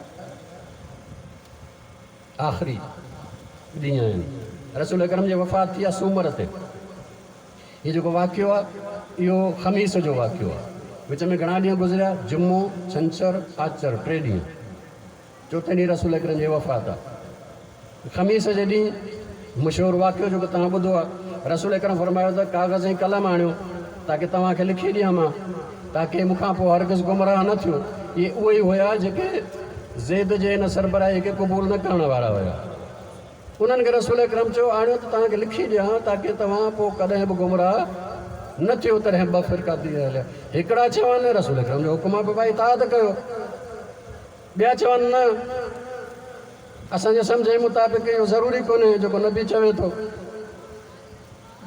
آخري ڏينهن آهن. رسول اڪرم جي وفات ٿي آهي سومر تي. هي جيڪو واقعو آهي اهو خميس جو واقعو آهي. وچ ۾ گهڻا ڏينهن گذريا؟ جمعو، ڇنڇر، آچر، ٽي ڏينهن. چوٿين ڏينهن رسول اڪرم جي وفات آهي. خميس جي ڏينهن مشهور واقعو جيڪو توهان ٻڌو آهي، رسول اڪرم فرمايو ته ڪاغذ ۽ قلم آڻيو تاڪه توهان کي لکي ڏيان مان، تاڪه مون کان پوءِ هرگز گمراهه نه ٿيو. اهي اهي ئي هئا جيڪي زيد جي هن سربراهي کي قبول نه ڪرڻ وارا هئا. انهن کي رسول اڪرم چيو آڻيو ته توهان کي لکي ڏيان تاڪه توهان پوءِ ڪڏهن به گمراهه نه ٿيو. تڏهن ٻه فرقا ٿي هليا. هڪڙا چون رسول اڪرم جو حڪم آهي ڀائي اطاعت ڪيو، ٻيا چون نه اسان جي سمجهه جي مطابق اهو ضروري ڪونهي جيڪو نبي چوي ٿو.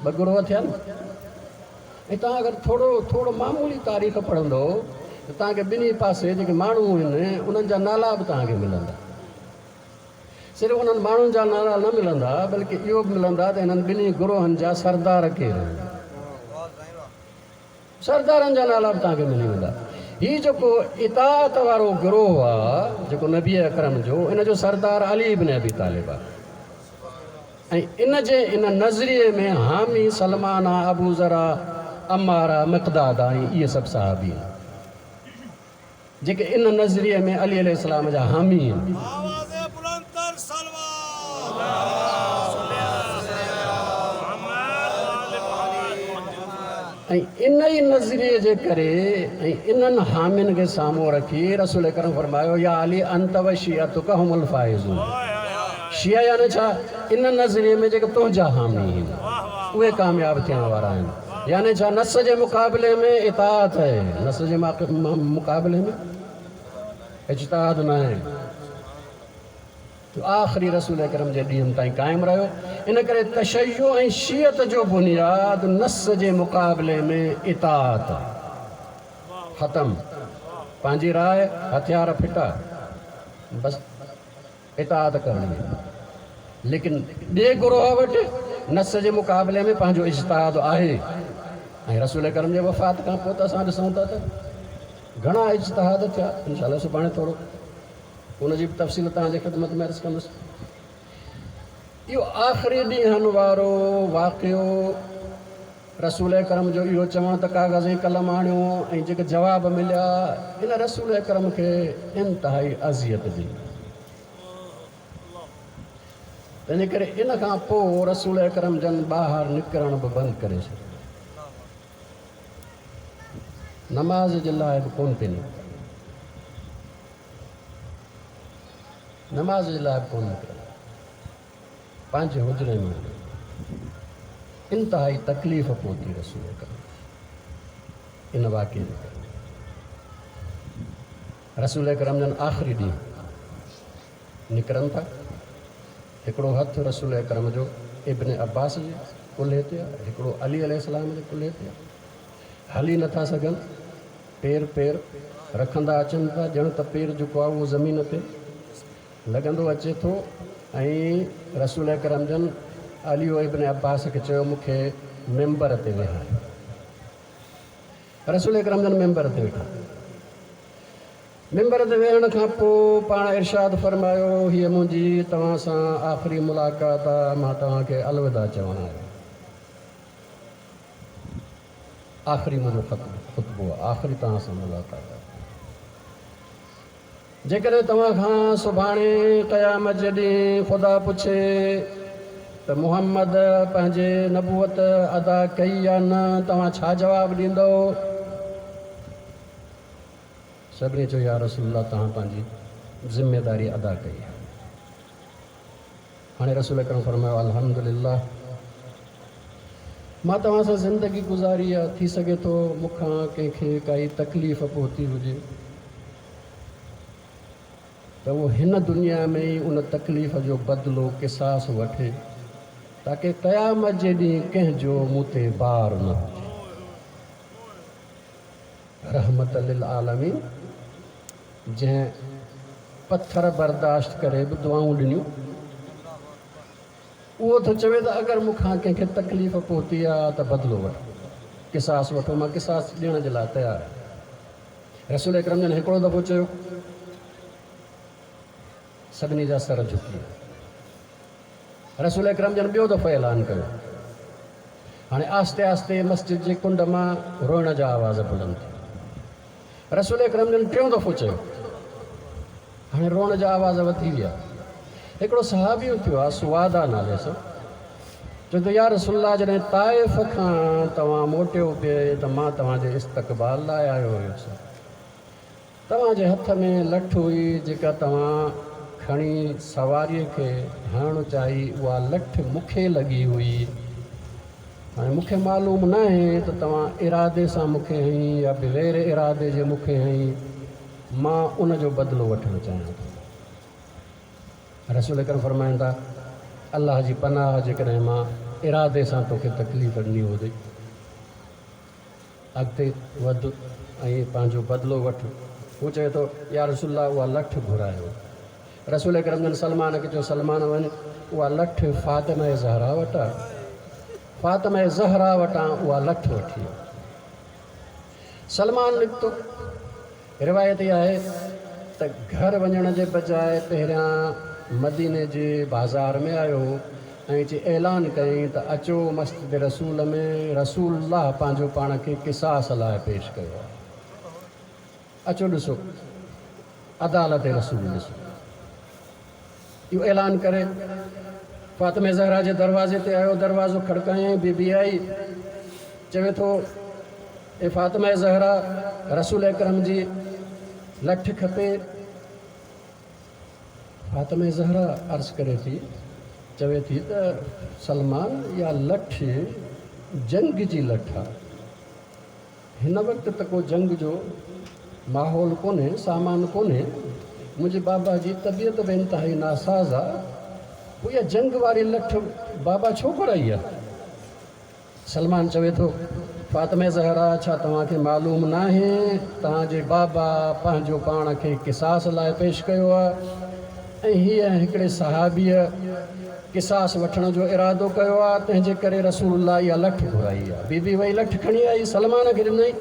ٻه گروهه ٿيا نه. ۽ توهان اگر ٿورو ٿورو معمولي تاريخ پڙهندو ته توهان کي ٻنهي پاسي جيڪي ماڻهو آهن انهن جا نالا به توهان کي ملندا. صرف انهن ماڻهن جا نالا نه ملندا بلڪه اهو به ملندا ته هنن ٻنهي گروهن جا سردار ڪير آهن. سردارن جا نالا به توهان کي ملي ويندا. هيءُ جيڪو اطاعت وارو گروهه آهي جيڪو نبي اڪرم جو، ان جو سردار علي ابن ابي طالب آهي ۽ ان جي ان نظريي ۾ حامي سلمان آهي، ابو ذر آهي، عمار آهي، مقداد آهي، ۽ اهي سڀ صحابي آهن جيڪي ان نظريي ۾ علي عليه السلام جا حامي آهن. ۽ ان ئي نظريي جي ڪري ۽ انهن حامين کي سامهون رکي رسول اڪرم فرمايو يا علي انت و شيعتک هم الفائزون. شيعا يعني ڇا؟ ان نظريي ۾ جيڪي تنهنجا حامي آهن اهي ڪامياب ٿيڻ وارا آهن. يعني ڇا؟ نس جي مقابلي ۾ اطاعت آهي، نس جي مقابلي ۾ اجتهاد نه آهي. آخري رسول اڪرم جي ڏينهن تائين قائم رهيو. ان ڪري تشيع ۽ شيعت جو بنياد نس جي مقابلي ۾ اطاعت ختم. پنهنجي راءِ هٿيار ڦٽا، بس اطاعت ڪرڻي. ليڪن ٻئي گروهه وٽ نس جي مقابلي ۾ پنهنجو اجتهاد آهي. ۽ رسول اڪرم جي وفات کان پوءِ ته اسان ڏسون ٿا ته گهڻا اجتهاد ٿيا. انشا الله سڀاڻي ٿورو ان جي به تفصيل توهان جي خدمت ۾ عرض ڪندس. اهو آخري ڏينهن وارو واقعو رسول اڪرم جو اهو چوڻ ته ڪاغذ ۽ قلم آڻيو ۽ جيڪي جواب مليا ان رسول اڪرم کي انتهائي اذيت ڏني. تنهن جي ڪري ان کان پوءِ رسول اڪرم جن ٻاهر نڪرڻ به بند ڪري ڇڏيو. نماز جي لاءِ به ڪونه پئي نڪتا، نماز جي لاءِ به ڪونه نڪرندا، پنهنجي حجري ۾ انتهائي تڪليف پهتي رسول اڪرم ان واقعي جي ڪري. رسول اڪرم جن آخري ڏينهن نڪرن ٿا. هڪڙو هٿ رسول اڪرم جو ابن عباس جي ڪلهي تي آهي، هڪڙو علي عليه السلام جي ڪلهي تي آهي. هلي نٿا سگهن، پير پير رکندا اچن ٿا، ڄڻ ته پير جيڪو آهي اهو زمين تي لڳندو اچي ٿو. ۽ رسول اڪرم جن علي ابن عباس کي چيو مون کي ميمبر تي ويهاريو. رسول اڪرم جن ميمبر تي ويٺا. ميمبر تي ويهڻ کان پوءِ پاڻ ارشاد فرمايو هيءَ منهنجي توهان سان آخري ملاقات آهي، مان توهان کي الوداع چوڻ آيو. آخري منهنجو خطبو آهي، آخري توهان سان ملاقات آهي. جيڪڏهن توهان کان سڀاڻي قيامت جي ڏينهن خدا پڇي ته محمد پنهنجي نبوت ادا ڪئي يا نه، توهان ڇا جواب ڏيندؤ؟ سڀني چيو يا رسول الله توهان پنهنجي ذميداري ادا ڪئي آهي. هاڻي رسول اڪرم فرمايو الحمدلله مان توهان سان زندگي گذاري آهي، ٿي سگهي ٿو مون کان ڪنهن کي ڪائي تڪليف پهتي هجي ته اهو هن دنيا ۾ ئي ان تڪليف جو بدلو قصاص وٺي تاڪه قيامت جي ڏينهن ڪنهن جو مون تي بار نه هجي. رحمت للعالمين جنهن پٿر برداشت ڪري به دعائون ڏنيون، اهو ٿو چوي ته اگر مون کان ڪنهن کي تڪليف پهتي آهي ته بدلو وٺو، قصاص وٺو، مان قصاص ڏيڻ جي لاءِ تيار آهيان. رسول اڪرم جن هڪڙو دفعو چيو، سڀني جا سر جهڪي ويا. رسول اڪرم جن ٻيو دفعو اعلان ڪيو. هاڻي آهستي آهستي مسجد جي ڪنڊ مان روئڻ جا آواز بلند ٿيا. رسول اڪرم جن ٽيون دفعو چيو. هاڻي روئڻ جا آواز وڌي ويا. هڪڙو صحابي اٿيو آهي سوادا نالي سان، چوي ٿو يا رسول الله، جڏهن طائف کان توهان موٽيو پئي ته مان توهان جي استقبال لاءِ آيو هيس. توهان جي هٿ ۾ لٺ هئي جيڪا توهان کڻي سواريءَ کي هڻڻ چاهي، اها لٺ مون کي لڳي هئي. هاڻي مون کي معلوم نه آهي ته توهان ارادي سان مون کي هنئي يا بغير ارادي جي مون کي هنئي، مان ان جو بدلو وٺڻ چاهيان ٿو. رسول اڪرم فرمائن ٿا، الله جي پناهه، جيڪڏهن مان ارادي سان توکي تڪليف ڏني هجي، اڳتي وڌ ۽ پنهنجو بدلو وٺ. هو چوي ٿو يا رسول الله، اها لٺ گهرايو. رسول اڪرم جن سلمان کي چيو، سلمان وڃ، اها لٺ فاطمه زهرا وٽ آهي، فاطمه زهرا وٽان اها لٺ وٺي آ. سلمان نڪتو. روايت اها آهي ته گهر وڃڻ جي بجاءِ پهريان مديني جي بازار ۾ آيو ۽ اچي اعلان ڪيائين ته اچو مسجد رسول ۾، رسول الله پنهنجو پاڻ کي قصاص لاءِ پيش ڪيو آهي، اچو ڏسو عدالت رسول ڏسو. اهو اعلان ڪري فاطمه زهرا جي دروازي تي آيو، دروازو کڙڪايائين، بيبي آئي، چوي ٿو اي فاطمه زهرا، رسول اڪرم جي لٺ کپي. فاطمه زهرا عرض ڪري ٿي، چوي ٿي ته سلمان، اها لٺ جنگ جي لٺ آهي، هن وقت ته ڪو جنگ جو ماحول ڪونهي، سامان ڪونهي، منهنجي بابا جي طبيعت به انتهائي ناساز آهي، پوءِ اها جنگ واري لٺ بابا ڇو گهرائي آهي؟ سلمان چوي ٿو فاطمه زهرا، ڇا توهان کي معلوم نه آهي توهان جي بابا پنهنجو پاڻ کي قصاص لاءِ پيش ڪيو آهي ۽ هيءَ هڪڙي صحابيءَ قصاص وٺڻ جو ارادو ڪيو آهي، تنهن جي ڪري رسول الله اها لٺ گهرائي آهي. بيبي وئي لٺ کڻي آئي، سلمان کي ڏنئي.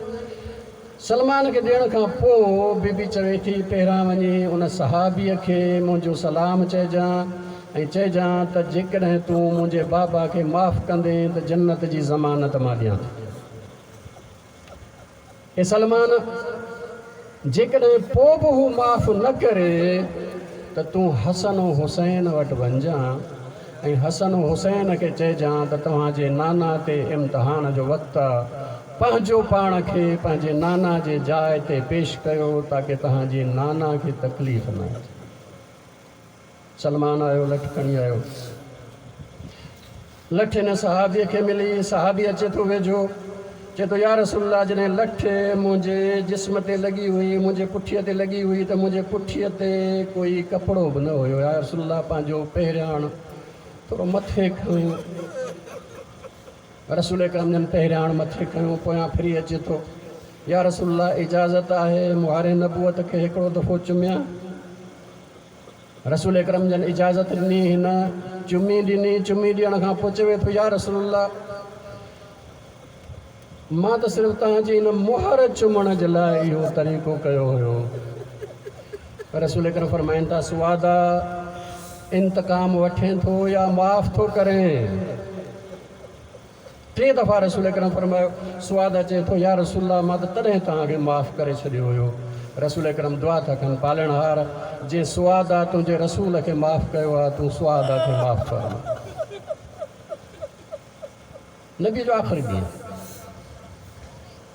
سلمان کي ڏيڻ کان پوءِ بيبي چوي ٿي پهريان وڃي ان صحابيءَ کي منهنجو سلام چئجان ۽ چئجان ته جيڪڏهن تون منهنجي بابا کي معاف ڪندين ته جنت جي ضمانت مان ڏيان ٿي. اي سلمان، جيڪڏهن پوءِ به هو معاف نه ڪري ته تون حسن حسين وٽ وڃجان ۽ حسن حسين کي چئجان ته توهان جي نانا تي امتحان جو وقت آهي، پنهنجو پاڻ کي پنهنجي نانا جي جاءِ تي پيش ڪيو تاڪه توهان جي نانا کي تڪليف نه اچي. سلمان آيو، لٺ کڻي آيو، لٺ هن صحابيءَ کي ملي. صحابي اچي ٿو ويجهو، چئي ٿو يا رسول الله، جڏهن لٺ منهنجي جسم تي لڳي هئي، منهنجي پٺيءَ تي لڳي هئي ته منهنجي پٺيءَ تي ڪوئي ڪپڙو به نه هيو. يا رسول الله، پنهنجو پهرياڻ ٿورو مٿي کيو. رسول اڪرم جن پهرياڻ مٿي کيو، پويان ڦري اچي ٿو، يا رسول الله، اجازت آهي مهار نبوت کي هڪڙو دفعو چميان؟ رسول اڪرم جن اجازت ڏني، هن چمي ڏني. چمي ڏيڻ کان پوءِ چوي ٿو يا رسول الله، مان ته صرف توهان جي هن مهر چمڻ جي لاءِ اهو طريقو ڪيو هيو. رسول اڪرم فرمائن ٿا سوادا، انتقام وٺين ٿو يا معاف ٿو ڪرين؟ ٽي دفعا رسول اڪرم فرمايو. سوادا چئي ٿو يا رسول الله، مان ته تڏهن توهان کي معاف ڪري ڇڏيو هيو. رسول اڪرم دعا ٿا ڪن، پالڻهار، جنهن سوادا تنهنجي رسول کي معاف ڪيو آهي، تون سوادا کي معاف فرما. نبي جو آخري ڏينهن،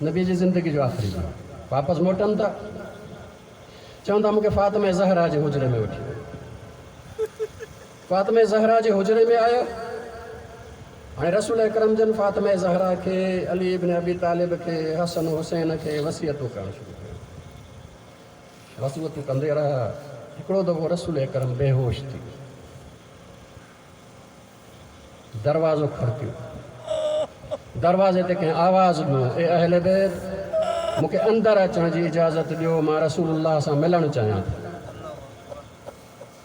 نبي جي زندگي جو آخري ڏينهن، واپس موٽن ٿا، چون ٿا مون کي فاطمه زهرا جي حجري ۾ وٺي وڃو. فاطمه زهرا جي حجري ۾ آيا. هاڻي رسول اڪرم جن فاطمه زهرا کي، علي ابن ابي طالب کي، حسن حسين کي وصيتون ڪرڻ شروع ڪيون. وصيتون ڪندي رهيا. هڪڙو دفعو رسول اڪرم بيهوش ٿي ويو، دروازو کڙڪيو، دروازي تي ڪنهن آواز ڏنو، اي اهل بيت، مون کي اندر اچڻ جي اجازت ڏيو، مان رسول الله سان ملڻ چاهيان ٿو.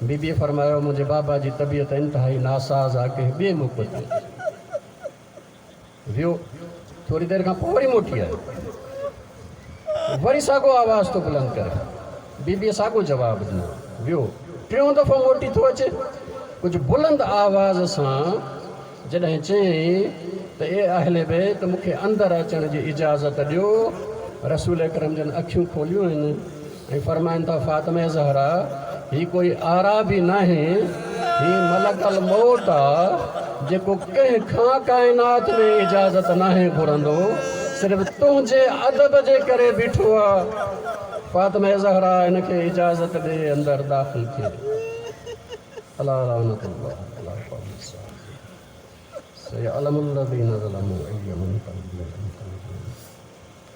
بيبيءَ فرمايو منهنجي بابا جي طبيعت انتهائي ناساز آهي، ڪنهن ٻئي موقعي تي ويو. ٿوري دير کان پوءِ وري موٽي آيو، وري ساڳيو آواز ٿو بلند ڪري. بيبيءَ ساڳيو جواب ڏنو، ويو. ٽيون دفعو موٽي ٿو اچي، ڪجهه بلند آواز سان جڏهن چيائين ته اي اهل بيت مون کي اندر اچڻ جي اجازت ڏيو. رسول اڪرم جن اکيون کوليون آهن ۽ فرمائن ٿا فاطمه زهرا هي ڪوئي اعرابي ناهي، هي ملڪ الموت آ جيڪو ڪنهن کان ڪائنات ۾ اجازت ناهي گهرندو، صرف تنهنجي ادب جي ڪري بيٺو آ. فاطمه زهرا هن کي اجازت ڏي اندر داخل ٿئي. الا لعنت الله على القوم الظالمين. سيعلم الذين ظلموا أي منقلب ينقلبون.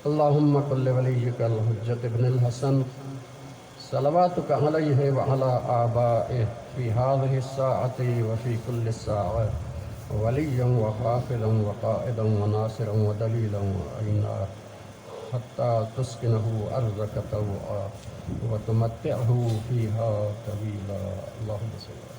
اللهم كن لوليك الحجة ابن الحسن صلواتك عليه وعلى آبائه في هذه الساعة وفي كل ساعة وليا وحافظا وقائدا وناصرا ودليلا وعينا حتى تسكنه أرضك طوعا وتمتعه فيها طويلا. اللهم صل.